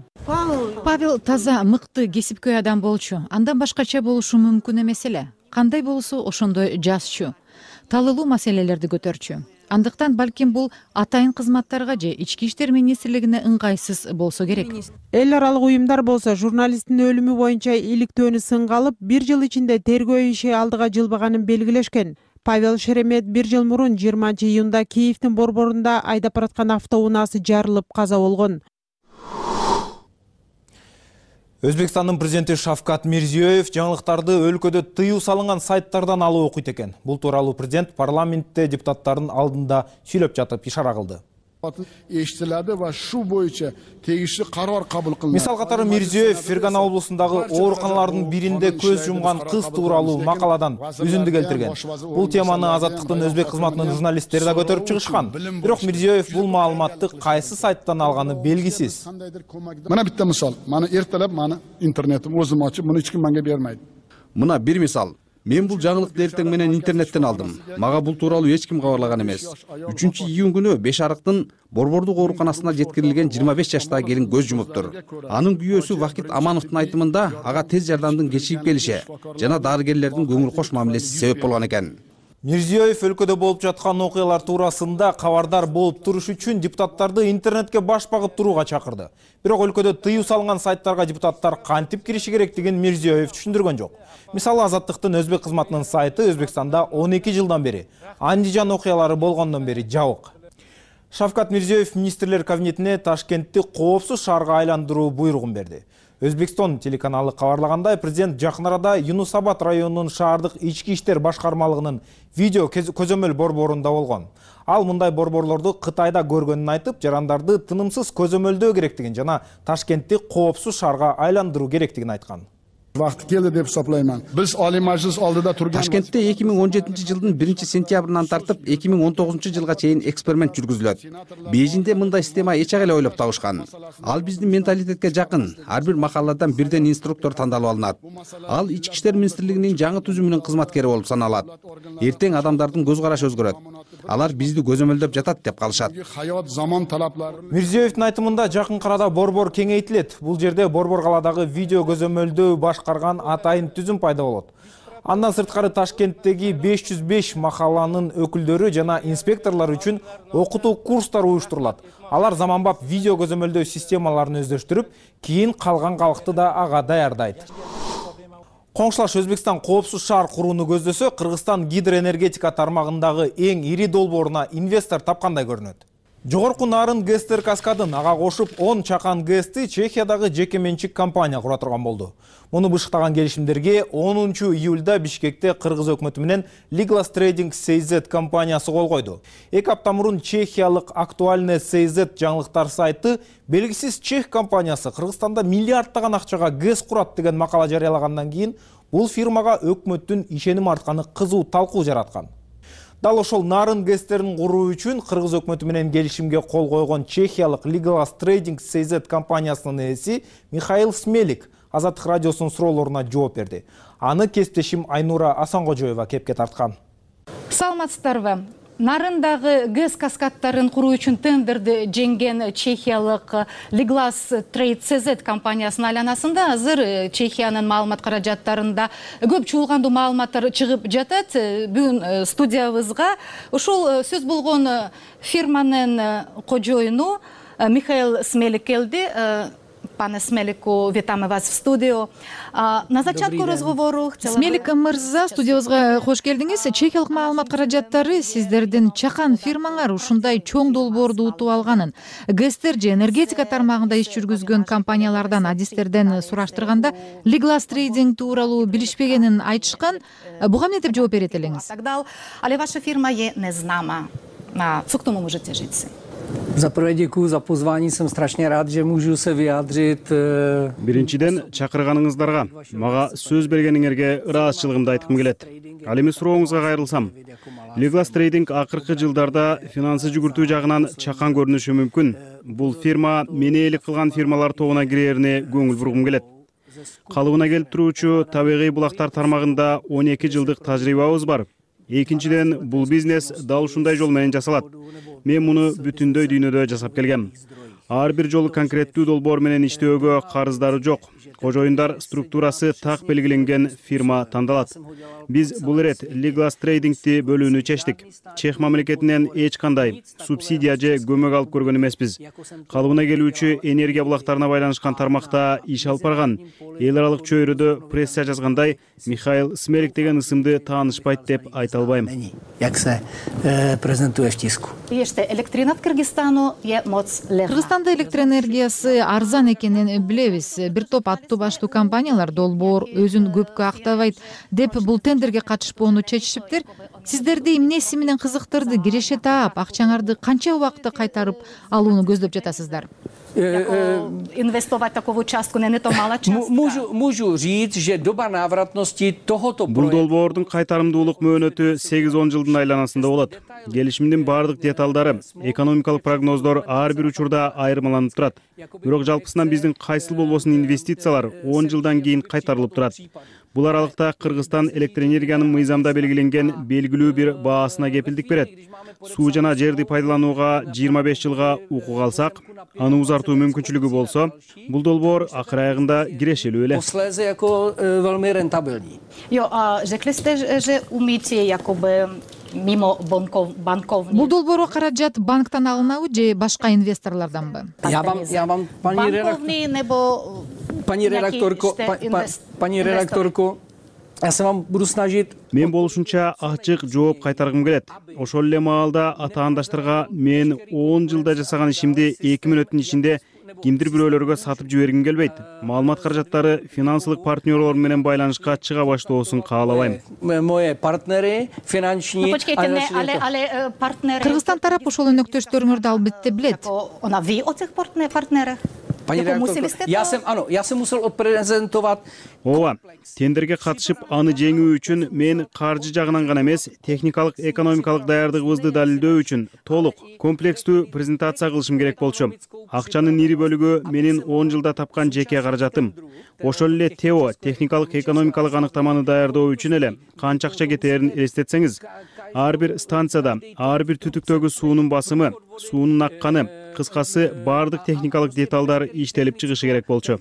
Павел таза мыкты кесипкөй адам болчу. Андан башкача болушу мүмкүн эмес эле. Кандай болсо ошондой жазчу. Талылуу маселелерди көтөрчү. Андыктан балким бул атайын кызматтарга же ички иштер министрлигине ыңгайсыз болсо керек. Эл аралык уюмдар болсо журналисттин өлүмү боюнча иликтөөнү сынга алып, бир жыл ичинде тергөө иши алдыга жылбаганын белгилешкен. Павел Шеремет бир жыл мурун жыйырманчы июнда Киевдин борборунда айдап бараткан автоунаасы жарылып каза болгон. Өзбекстандын президенти Шавкат Мирзиёев жаңылыктарды өлкөдө тыюу салынган сайттардан алып окуйт экен. Бул тууралуу президент парламентте депутаттардын алдында сүйлөп жатып ишара кылды. Eşitiladi ve şu boyunca tegişli karar kabul kılındı. Мисал катары Мирзиёев Фергана облусундагы ооруканалардын биринде көз жумган кыз тууралуу макаладан үзүндү келтирген. Бул теманы Азаттыктын өзбек кызматынын журналисттери да көтөрүп чыгышкан. Бирок Мирзиёев бул маалыматты кайсы сайттан алганы белгисиз. Мына bitta misol. Mana ertalab mana internetim o'zim ochib, buni hech kim menga bermaydi. Мына бир мисал. Мен бул жаңылыкты эртең менен интернеттен алдым. Мага бул тууралуу эч ким кабарлаган эмес. үчүнчү июнь күнү Беш Арыктын борбордук ооруканасына жеткирилген жыйырма беш жаштагы келин көз жумуптур. Анын күйөөсү Вакит Амановдун айтымында ага тез жардамдын кечигип келиши жана дарыгерлердин көңүл кош мамилеси себеп болгон экен. Мирзиёев өлкөдө болуп жаткан окуялар туурасында кабардар болуп туруш үчүн депутаттарды интернетке баш багып турууга чакырды. Бирок өлкөдө тыюу салынган сайттарга депутаттар кантип кириши керектигин Мирзиёев түшүндүргөн жок. Мисалы Азаттыктын өзбек кызматынын сайты Өзбекстанда он эки жылдан бери, Андижан окуялары болгондон бери жабык. Шавкат Мирзиёев министрлер кабинетине Ташкентти коопсуз шаарга айландыруу буйругун берди. Өзбекстан телеканалы кабарлагандай, президент жакын арада Юнус Абад районунун шаардык ички иштер башкармалыгынын видео көзөмөл борборунда болгон. Ал мындай борборлорду Кытайда көргөнүн айтып, жарандарды тынымсыз көзөмөлдөө керектигин жана Ташкентти коопсуз шаарга айландыруу керектигин айткан. Vaqti keldi deb hisoblayman. Biz Oliy Majlis oldida turgan Toshkentda эки миң он жетинчи жылдын биринчи сентябрынан тартып эки миң он тогузунчу жылга чейин эксперимент жүргүзүлөт. Бейжиңде мындай система эч эле ойлоп табышкан. Ал биздин менталитетке жакын. Ар бир махалладан бирден инструктор тандалып алынат. Ал ички иштер министрлигинин жаңы түзүмүнүн кызматкери болуп саналат. Эртең адамдардын көз карашы өзгөрөт. Алар бизди көзөмөлдөп жатат деп калышат. Hayot zamon talablari. Мирзиёевдин айтымында жакын арада борбор кеңейтилет. Бул жерде борбор каладагы видео көзөмөлдөө башкарган атайын түзүм пайда болот. Андан сырткары Ташкенттеги беш жүз беш махалланын өкүлдөрү жана инспекторлор үчүн окутуу курстар уюштурулат. Алар заманбап видео көзөмөлдөө системаларын өздөштүрүп, кийин калган калкты да ага даярдайт. Коңшулаш Өзбекстан коопсуз шаар курууну көздөсө, Кыргызстан гидроэнергетика тармагындагы эң ири долбооруна инвестор тапкандай көрүнөт. Жогорку Нарын ГЭСтер каскадын ага кошуп он чакан ГЭСти Чехиядагы жеке менчик компания кура турган болду. Муну бышыктаган келишимдерге онунчу июлда Бишкекте Кыргыз өкмөтү менен Liglas Trading си эй зет компаниясы кол койду. Эки апта мурун чехиялык Актуальне си эй зет жаңылыктар сайты белгисиз чех компаниясы Кыргызстанда миллиардтаган акчага ГЭС курат деген макала жарыялагандан кийин бул фирмага өкмөттүн ишеним артканы кызуу талкуу жараткан. Дал ошол Нарын ГЭСтерин куруу үчүн Кыргыз өкмөтү менен келишимге кол койгон чехиялык Liglas Trading си эй зет компаниясынын ээси Михаил Смелик Азаттык радиосунун суроолоруна жооп берди. Аны кесиптешим Айнура Асангожоева кепке тарткан. Саламатсыздарбы? Нарындагы ГЭС каскадтарын куруу үчүн тендерди жеңген чехиялык Liglas Trade си эй зет компаниясынын айланасында азыр Чехиянын маалымат каражаттарында көп чуулгандуу маалыматтар чыгып жатат. Бүгүн студиябызга ушул сөз болгон фирманын кожоюну Михаил Смелик келди. Пане Смелику, витаме вас в студио. На зачатку разговору Смелик мырза, студиябызга кош келдиңиз. Чехиялык маалымат каражаттары сиздердин чакан фирмаңар ушундай чоң долбоорду утуп алганын, ГЭСтер же энергетика тармагында иш жүргүзгөн компаниялардан, адистерден сураштырганда Liglas Trading тууралуу билишпегенин айтышкан. Буга эмне деп жооп берет элеңиз? Але ваша фирма е незнама. Co k tomu můžete říct? Za prvé děkuji za pozvání, jsem strašně rád, že můžu se vyjádřit. Биринчиден чакырганыңыздарга, мага сөз бергениңерге ыраазычылыгымды айткым келет. Ал эми сурооңузга кайрылсам, Liglas Trading акыркы жылдарда финансы жүгүртүү жагынан чакан көрүнүшү мүмкүн. Бул фирма мени ээлик кылган фирмалар тобуна кирээрине көңүл бургум келет. Калыбына келип туруучу табигый булактар тармагында он эки жылдык тажрыйбабыз бар. Экинчиден, бул бизнес дал ушундай жол менен жасалат. мен муну бүтүндөй дүйнөдө жасап келгем. Ар бир жолу конкреттүү долбоор менен иштөөгө карыздары жок. Кожоюндар структурасы так белгиленген фирма тандалат. Биз бул ирет Liglas Trading'ти бөлүүнү чечтик. Чех мамлекетинен эч кандай субсидия же көмөк алып көргөн эмеспиз. Калыбына келүүчү энергия булактарына байланышкан тармакта иш алып барган эл аралык чөйрөдө пресса жазгандай Михаил Смелик деген ысымды таанышпайт деп айта албайм. Jak se prezentuje v tisku. Ještě elektrina v Kyrgyzstanu je moc levná. Кыргызстанда электр энергиясы арзан экенин билебиз. Бир топ аттуу баштуу компаниялар долбоор өзүн көпкө актабайт деп бул тендерге катышпоону чечишиптир. Сиздерди эмнеси менен кызыктырды? Киреше таап, акчаңарды канча убакытта кайтарып алууну көздөп жатасыздар? Инвестовать takovou částku není to malá částka. Můžu, můžu říct, že doba návratnosti tohoto Бул долбоордун кайтарымдуулук мөөнөтү сегиз он жылдын айланасында болот. Келишимдин бардык деталдары, экономикалык прогноздор ар бир учурда айырмаланып турат. Бирок жалпысынан биздин кайсыл болбосун инвестициялар он жылдан кийин кайтарылып турат. Бул аралыкта Кыргызстан электр энергиянын мыйзамда белгиленген белгилүү бир баасына кепилдик берет. Суу жана жерди пайдаланууга жыйырма беш жылга укук алсак, аны узартуу мүмкүнчүлүгү болсо, бул долбоор акыр аягында кирешелүү эле. Posléze jako velmi rentabilní. Jo, a řekli jste, že umíte jakoby mimo bankovní. Бул долбоорго каражат банктан алынабы же башка инвесторлорданбы? Já vám, já vám, paní Bankovní nebo Paní redaktorko, pa, pa, paní redaktorko, я se вам буду snažit. Мен болушунча ачык жооп кайтаргым келет. Ошол эле маалда атаандаштарга мен он жылда жасаган ишимди эки мүнөттүн ичинде кимдир бирөөлөргө сатып жибергим келбейт. Маалымат каражаттары финансылык партнерлор менен байланышка чыга баштоосун каалабайм. Moje partnery, finanční. Počkejte, ne, ale, ale partnery. Кыргызстан тарап ошол өнөктөштөрүңөрдү албетте билет. Ona ví o těch partnerech? Paní redaktorko, já jsem, ano, já jsem musel odprezentovat. Ооба, тендерге катышып аны жеңүү үчүн мен каржы жагынан гана эмес, техникалык, экономикалык даярдыгыбызды далилдөө үчүн толук, комплекстүү презентация кылышым керек болчу. Акчанын ири бөлүгү менин он жылда тапкан жеке каражатым. Ошол эле ТЭО, техникалык, экономикалык аныктаманы даярдоо үчүн эле канча акча кетерин элестетсеңиз, ар бир станцияда, ар бир түтүктөгү суунун басымы, суунун акканы, кыскасы бардык техникалык деталдар иштелип чыгышы керек болчу.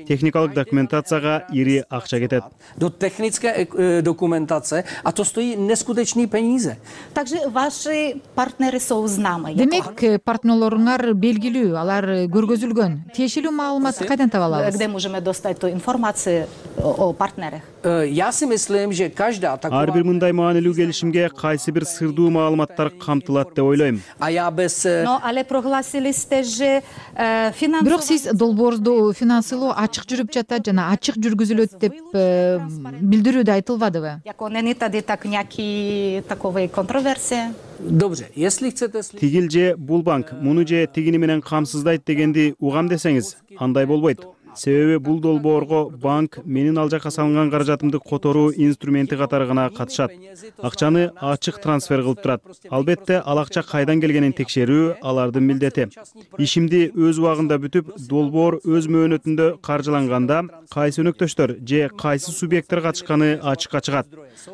Техникалык документацияга ири акча кетет. Do technické dokumentace a to stojí neskutečný peníze. Takže vaši partnery jsou známы. Демек, партнерлоруңар белгилүү, алар көргөзүлгөн. Тиешелүү маалыматты кайдан таба алабыз? Где можем достать ту информацию о партнерах? Я si myslím, že každá taková. Ар бир мындай маанилүү келишимге кайсы бир сырдуу маалыматтар камтылат деп ойлойм. А я без. Но але прогласили сте же финансовый. Бирок сиз долбоорду финансылоо ачык жүрүп жатат жана ачык жүргүзүлөт деп билдирүүдө айтылбадыбы? Яко не тади так някакви такови контроверсии. Добре, если chcete. Тигил же бул банк муну же тигини менен камсыздайт дегенди угам десеңиз, андай болбойт. Себеби бул долбоорго банк менин ал жакка салынган каражатымды которуу инструменти катары гана катышат. Акчаны ачык трансфер кылып турат. Албетте ал акча кайдан келгенин текшерүү алардын милдети. Ишимди өз убагында бүтүп, долбоор өз мөөнөтүндө каржыланганда кайсы өнөктөштөр же кайсы субъекттер катышканы ачыкка чыгат.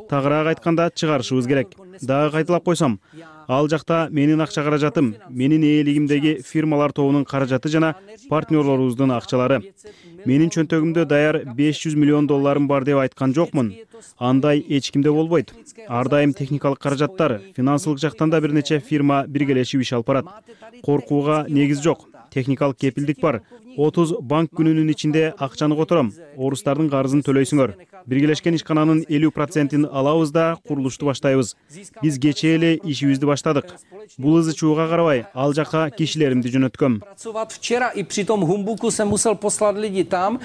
Тагыраак айтканда чыгарышыбыз керек. Дагы кайталап койсом, ал жакта менин акча каражатым, менин ээлигимдеги фирмалар тобунун каражаты жана партнерлорубуздун акчалары. Менин чөнтөгүмдө даяр беш жүз миллион долларым бар деп айткан жокмун. Андай эч кимде болбойт. Ар дайым техникалык каражаттар, финансылык жактан да бир нече фирма биргелешип иш алып барат. Коркууга негиз жок. Техникалык кепилдик бар. отуз банк күнүнүн ичинде акчаны котором. Орустардын карызын төлөйсүңөр. Биргелешкен ишкананын элүү процентин алабыз да курулушту баштайбыз. Биз кечээ эле ишибизди баштадык. Бул ызы чууга карабай, ал жака кишилеримди жөнөткөм. Pracovat včera i při tom humbuku jsem musel poslat lidi tam.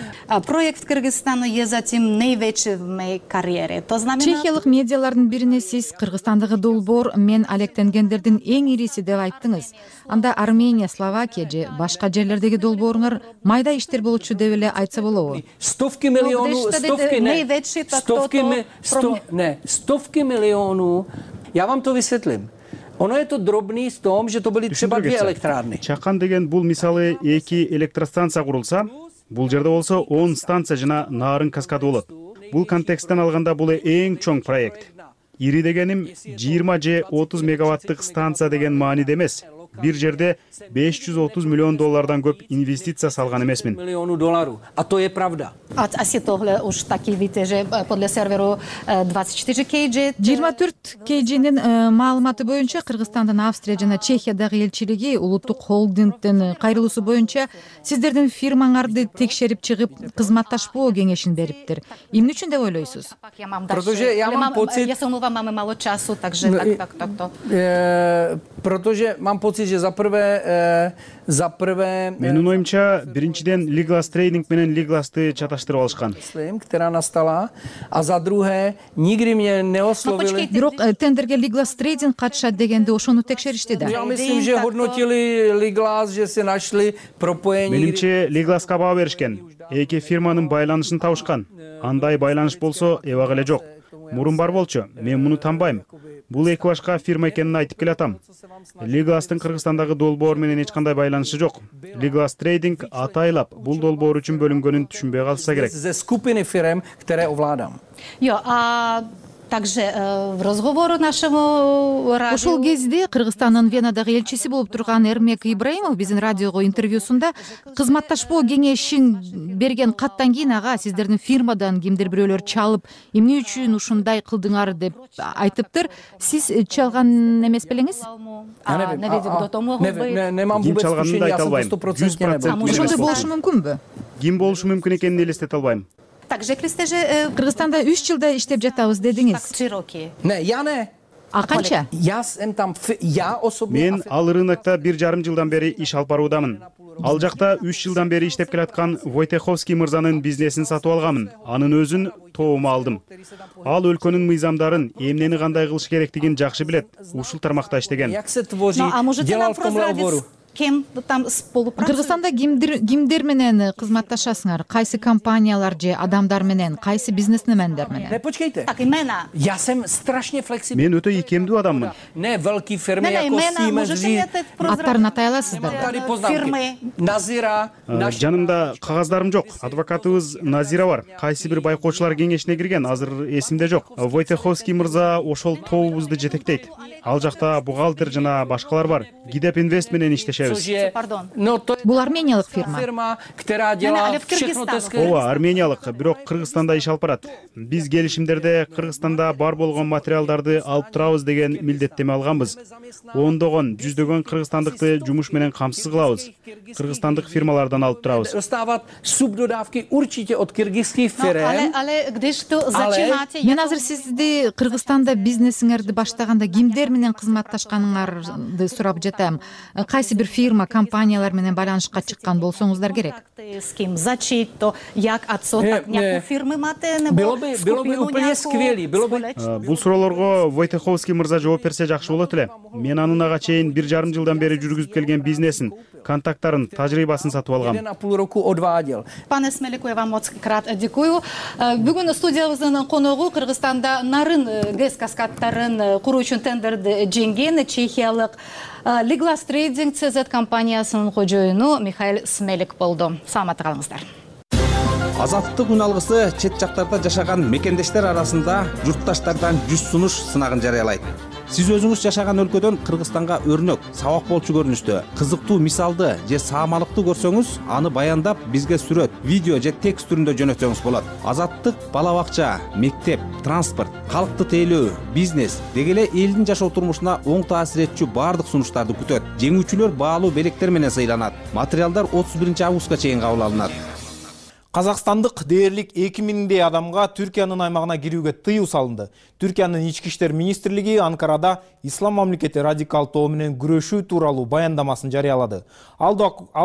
Проект в Кыргызстану je затем наивечи в моей карьере. То знамена. Чехиялык медиалардын бирине сиз Кыргызстандагы долбоор мен алектенгендердин эң ириси деп айттыңыз. Анда Армения, Словакия же башка жерлердеги долбооруңар майда иштер болчу деп эле айтса болобу? Stovky milionů, stovky ne, stovky, mi, sto, ne, stovky milionů. Já vám to vysvětlím. Ono je to drobný v tom, že to byly třeba dvě elektrárny. Чакан деген бул мисалы эки электростанция курулса, бул жерде болсо он станция жана нарын каскады болот. Бул контексттен алганда бул эң чоң проект. ири дегеним жыйырма же отуз мегаваттык станция деген мааниде эмес. Бир жерде беш жүз отуз миллион доллардан көп инвестиция салган эмесмин. Миллиону доллару. А то е правда. А си тогле уж таки видите же подле серверу двадцать четыре кей джи. жыйырма төрт кей джинин маалыматы боюнча Кыргызстандын Австрия жана Чехиядагы элчилиги улуттук холдингдин кайрылуусу боюнча сиздердин фирмаңарды текшерип чыгып кызматташпоо кеңешин бериптир. Эмне үчүн деп ойлойсуз? Protože já mám pocit... Já se omlouvám, máme málo času, takže tak, tak, tak to. Protože mám pocit, že za prvé... За прvé... Менин оюмча, биринчиден Liglas Trading менен Liglas'ты чаташтырып алышкан. Která nastala, a za druhé, nikdy mě neoslovili... Бирок тендерге Liglas Trading катышат дегенде ошону текшеришти да. Я myslím, že hodnotili Liglas, že se našli пропоение... Менимче Liglas'ка баа беришкен. Эки фирманын байланышын табышкан. Андай байланыш болсо, эбак эле жок. Мурун бар болчу, мен муну танбайм. Бул эки башка фирма экенин айтып келатам. Liglas'тын Кыргызстандагы долбоор менен эч кандай байланышы жок. Liglas Trading атайлап бул долбоор үчүн бөлүнгөнүн түшүнбөй калса керек. Ze skupiny firm, které ovládám. Jo, a также в разговору нашему радио... Ошол кезде Кыргызстандын Венадагы элчиси болуп турган Эрмек Ибраимов биздин радиого интервьюсунда кызматташпоо кеңешин берген каттан кийин ага сиздердин фирмадан кимдир бирөөлөр чалып, эмне үчүн ушундай кылдыңар деп айтыптыр. Сиз чалган эмес белеңиз? Ким чалганын айта албайм. жүз процент Ошондой болушу мүмкүнбү? Ким болушу мүмкүн экенин элестете албайм. Кыргызстанда үч жылда иштеп жатабыз дедиңиз. Не, я не. А канча? Я сам там, я особенно... Мен ал рынокто бир жарым жылдан бери иш алып баруудамын. Ал жакта үч жылдан бери иштеп келаткан Войтеховский мырзанын бизнесин сатып алганмын. Анын өзүн тобума алдым. Ал өлкөнүн мыйзамдарын, эмнени кандай кылыш керектигин жакшы билет. Ушул тармакта иштеген. А можете нам прозрадить, кем там сполупрацует? Кыргызстанда кимдир кимдер менен кызматташасыңар? Кайсы компаниялар же адамдар менен, кайсы бизнесмендер менен? Не, почкайте. Так, имена. Я сам страшно флексибилен. Мен өтө ийкемдүү адаммын. Не, велики фирмы, яко Siemens. Аттарын атай аласыздар? Фирмы, Назира, жанымда кагаздарым жок. Адвокатыбыз Назира бар. Кайсы бир байкоочулар кеңешине кирген, азыр эсимде жок. Войтеховский мырза ошол тобубузду жетектейт. Ал жакта бухгалтер жана башкалар бар. Гидеп Инвест менен иштешет. Бул армениялык фирма. Фирма, которая делала Ооба, армениялык, бирок Кыргызстанда иш алып барат. Биз келишимдерде Кыргызстанда бар болгон материалдарды алып турабыз деген милдеттеме алганбыз. Ондогон, жүздөгөн кыргызстандыкты жумуш менен камсыз кылабыз. Кыргызстандык фирмалардан алып турабыз. Достават субдодавки урчите от кыргызских фирм. Мен азыр сизди Кыргызстанда бизнесиңерди баштаганда кимдер менен кызматташканыңарды сурап жатам. Кайсы бир фирма, компаниялар менен байланышка чыккан болсоңуздар керек. С ким зачит, то як отсоток някои фирмы мате не было бы было бы úplně skvělý, было бы. Бул суроолорго Войтеховский мырза жооп берсе жакшы болот эле. Мен анын ага чейин бир жарым жылдан бери жүргүзүп келген бизнесин, контакттарын, тажрыйбасын сатып алгам. Jedan a půl roku odváděl. Пане Смелику, я вам моц крат дякую. Бүгүн студиябыздын коногу Кыргызстанда нарын гэс каскадтарын куруу үчүн тендерди жеңген чехиялык Liglas Trading си зет компаниясынын кожоюну Михаил Смелик болду. Саламатта калыңыздар. Азаттык үналгысы чет жактарда жашаган мекендештер арасында журтташтардан жүз сунуш сынагын жарыялайт. Сиз өзүңүз жашаган өлкөдөн Кыргызстанга өрнөк, сабак болчу көрүнүштө, кызыктуу мисалды же саамалыкты көрсөңүз, аны баяндап бизге сүрөт, видео же текст түрүндө жөнөтсөңүз болот. Азаттык бала бакча, мектеп, транспорт, калкты тейлөө, бизнес деги эле элдин жашоо турмушуна оң таасир этчү баардык сунуштарды күтөт. Жеңүүчүлөр баалуу белектер менен сыйланат. Материалдар отуз биринчи августка чейин кабыл алынат. Казакстандык дээрлик эки миңдей адамга Түркиянын аймагына кирүүгө тыюу салынды. Түркиянын ички иштер министрлиги Анкарада Ислам мамлекети радикал тобу менен күрөшүү тууралуу баяндамасын жарыялады. Ал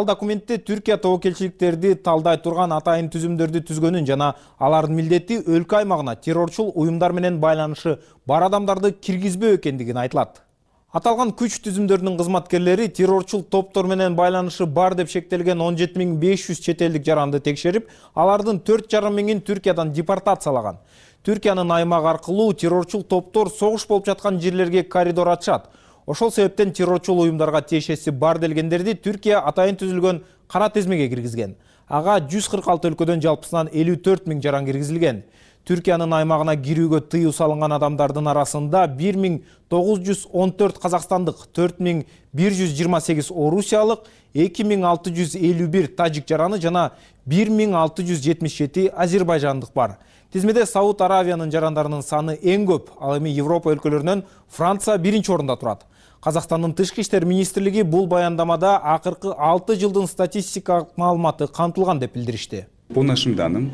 документте Түркия тобокелчиликтерди талдай турган атайын түзүмдөрдү түзгөнүн жана алардын милдети өлкө аймагына террорчул уюмдар менен байланышы бар адамдарды киргизбөө экендигин айтылат. Аталган күч түзүмдөрүнүн кызматкерлери террорчул топтор менен байланышы бар деп шектелген он жети миң беш жүз чет элдик жаранды текшерип, алардын төрт жарым миңин Түркиядан депортациялаган. Түркиянын аймак аркылуу террорчул топтор согуш болуп жаткан жерлерге коридор ачат. Ошол себептен террорчул уюмдарга тиешеси бар делгендерди Түркия атайын түзүлгөн кара тизмеге киргизген. Ага жүз кырк алты өлкөдөн жалпысынан элүү төрт миң жаран киргизилген. Түркиянын аймагына кирүүгө тыюу салынган адамдардын арасында бир миң тогуз жүз он төрт казакстандык, төрт миң бир жүз жыйырма сегиз орусиялык, эки миң алты жүз элүү бир тажик жараны жана бир миң алты жүз жетимиш жети азербайжандык бар. Тизмеде Сауд Аравиянын жарандарынын саны эң көп, ал эми Европа өлкөлөрүнөн Франция биринчи орунда турат. Казакстандын тышкы иштер министрлиги бул баяндамада акыркы алты жылдын статистикалык маалыматы камтылган деп билдиришти. По нашим данным,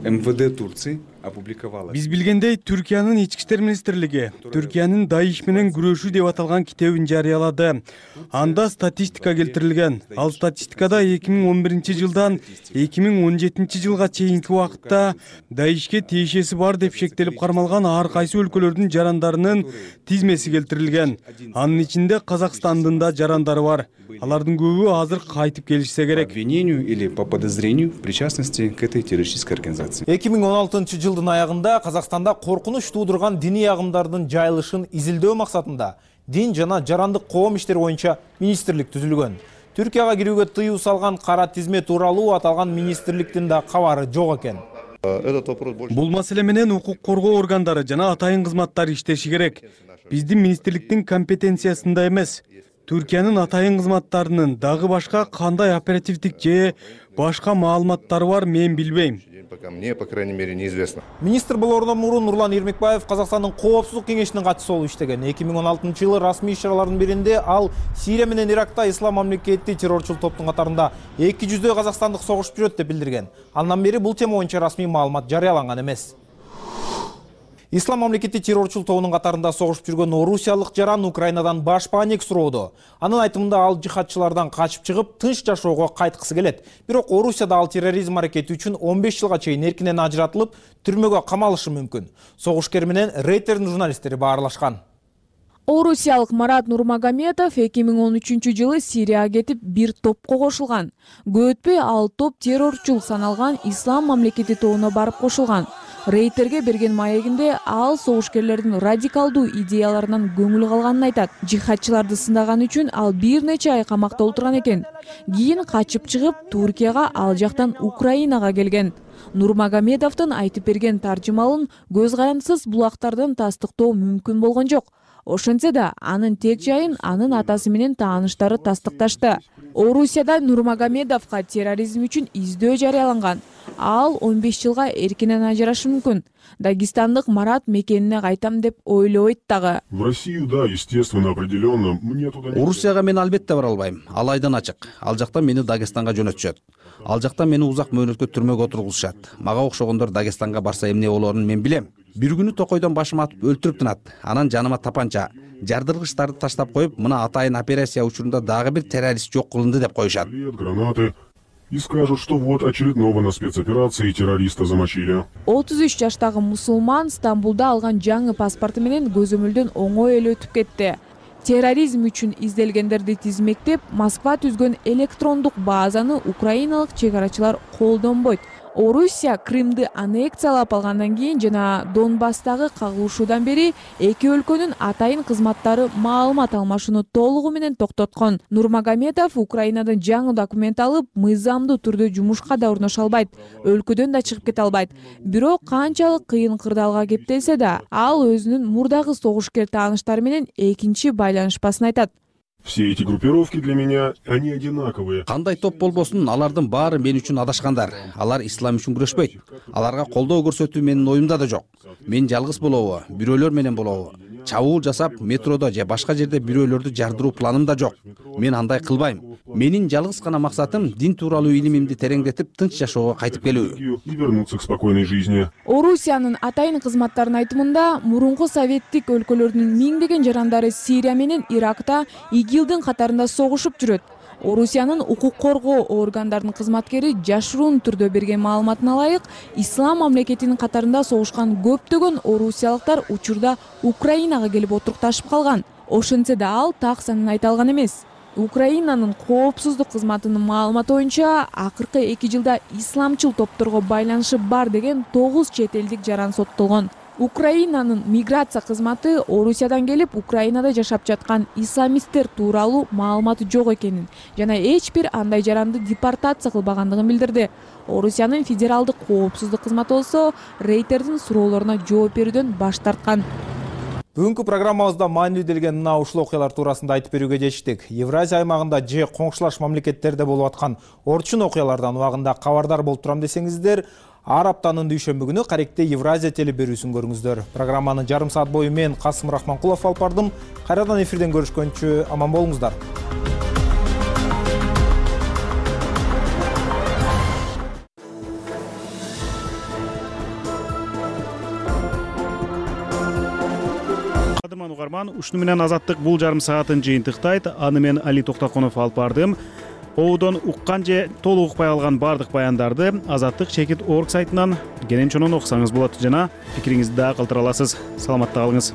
эм вэ дэ Турции опубликовала. Биз билгендей, Түркиянын ички иштер министрлиги Түркиянын Даиш менен күрөшүү деп аталган китебин жарыялады. Анда статистика келтирилген. Ал статистикада эки миң он биринчи жылдан эки миң он жетинчи жылга чейинки убакытта Даишке тиешеси бар деп шектелип кармалган ар кайсы өлкөлөрдүн жарандарынын тизмеси келтирилген. Анын ичинде Казакстандын да жарандары бар. Алардын көбү азыр кайтып келишсе керек. Обвинению или по подозрению причастности к этой террористической организации. эки миң он алтынчы жылдын аягында Казакстанда коркунуч туудурган диний агымдардын жайылышын изилдөө максатында дин жана жарандык коом иштери боюнча министрлик түзүлгөн. Түркияга кирүүгө тыюу салган кара тизме тууралуу аталган министрликтин да кабары жок экен. Бул маселе менен укук коргоо органдары жана атайын кызматтар иштеши керек. Биздин министрликтин компетенциясында эмес. Түркиянын атайын кызматтарынын дагы башка кандай оперативдик же башка маалыматтары бар, мен билбейм. Мне, по крайней мере, неизвестно. Министр болоордон мурун Нурлан Эрмекбаев Казакстандын коопсуздук кеңешинин катчысы болуп иштеген. эки миң он алтынчы жылы расмий иш-чаралардын биринде ал Сирия менен Иракта ислам мамлекети террорчул топтун катарында эки жүздөй казакстандык согушуп жүрөт деп билдирген. Андан бери бул тема боюнча расмий маалымат жарыяланган эмес. Ислам мамлекети террорчул тобунун катарында согушуп жүргөн орусиялык жаран Украинадан баш паник суроодо. Анын айтымында ал жихадчылардан качып чыгып, тынч жашоого кайткысы келет. Бирок Орусияда ал терроризм аракети үчүн он беш жылга чейин эркинен ажыратылып, түрмөгө камалышы мүмкүн. Согушкер менен Рейтердин журналисттери баарлашкан. Орусиялык Марат Нурмагомедов эки миң он үчүнчү жылы Сирияга кетип бир топко кошулган. Көтпөй ал топ террорчул саналган Ислам мамлекети тобуна барып кошулган. Рейтерге берген маегинде ал согушкерлердин радикалдуу идеяларынан көңүл калганын айтат. Жихадчыларды сындаган үчүн ал бир нече ай камакта отурган экен. Кийин качып чыгып, Туркияга, ал жактан Украинага келген. Нурмагомедовдун айтып берген таржымалын көз карандысыз булактардан тастыктоо мүмкүн болгон жок. Ошентсе да анын тек жайын анын атасы менен тааныштары тастыкташты. Орусияда Нурмагомедовго терроризм үчүн издөө жарыяланган. Ал он беш жылга эркинен ажырашы мүмкүн. Дагестандык Марат мекенине кайтам деп ойлойт дагы. В Россию, да, естественно, определенно. Мне туда не... Орусияга мен албетте бара албайм. Ал айдан ачык. Ал жакта мени Дагестанга жөнөтүшөт. Ал жакта мени узак мөөнөткө түрмөгө отургузушат. Мага окшогондор Дагестанга барса эмне болоорун мен билем. Бир күнү токойдон башыма атып өлтүрүп тынат. Анан жаныма тапанча, жардыргычтарды таштап коюп, мына атайын операция учурунда дагы бир террорист жок кылынды деп коюшат. Гранаты. И скажут, что вот очередного на спецоперации террориста замочили. отуз үч жаштагы мусулман Стамбулда алган жаңы паспорту менен көзөмөлдөн оңой эле өтүп кетти. Терроризм үчүн изделгендерди тизмектеп, Москва түзгөн электрондук базаны украиналык чек арачылар колдонбойт. Орусия Крымды аннексиялап алгандан кийин жана Донбасстагы кагылышуудан бери эки өлкөнүн атайын кызматтары маалымат алмашууну толугу менен токтоткон. Нурмагомедов Украинадан жаңы документ алып, мыйзамдуу түрдө жумушка да орношо албайт, өлкөдөн да чыгып кете албайт. Бирок канчалык кыйын кырдаалга кептелсе да, ал өзүнүн мурдагы согушкер тааныштары менен экинчи байланышпасын айтат. Все эти группировки для меня, они одинаковые. Кандай топ болбосун, алардын баары мен үчүн адашкандар. Алар ислам үчүн күрөшпөйт. Аларга колдоо көрсөтүү менин оюмда да жок. Мен жалгыз болобу, бирөөлөр менен болобу, чабуул жасап, метродо же башка жерде бирөөлөрдү жардыруу планым да жок. Мен андай кылбайм. Менин жалгыз гана максатым дин тууралуу илимимди тереңдетип, тынч жашоого кайтып келүү. И вернуться к спокойной жизни. Орусиянын атайын кызматтарынын айтымында, мурунку советтик өлкөлөрдүн миңдеген жарандары Сирия менен Иракта ИГИЛдин катарында согушуп жүрөт. Орусиянын укук коргоо органдарынын кызматкери жашыруун түрдө берген маалыматына ылайык, Ислам мамлекетинин катарында согушкан көптөгөн орусиялыктар учурда Украинага келип отурукташып калган. Ошентсе да ал так санын айта алган эмес. Украинанын коопсуздук кызматынын маалыматы боюнча, акыркы эки жылда исламчыл топторго байланышы бар деген тогуз чет элдик жаран соттолгон. Украинанын миграция кызматы Орусиядан келип Украинада жашап жаткан исламисттер тууралуу маалыматы жок экенин жана эч бир андай жаранды депортация кылбагандыгын билдирди. Орусиянын федералдык коопсуздук кызматы болсо рейтердин суроолоруна жооп берүүдөн баш тарткан. Бүгүнкү программабызда маанилүү делген мына ушул окуялар туурасында айтып берүүгө чечтик. Евразия аймагында же коңшулаш мамлекеттерде болуп аткан орчун окуялардан убагында кабардар болуп турам десеңиздер, ар аптанын дүйшөмбү күнү Каректе Евразия телеберүүсүн көрүңүздөр. Программаны жарым саат бою мен Касым Рахманкулов алып бардым. Кайрадан эфирден көрүшкөнчө аман болуңуздар. Кадырман угарман, ушуну менен Азаттык бул жарым саатын жыйынтыктайт. Аны мен Али Токтоконов алып бардым. Оодон уккан же толук укпай алган бардык баяндарды Азаттык чекит точка орг сайтынан кенен чонон окусаңыз болот жана пикириңизди да калтыра аласыз. Саламатта калыңыз.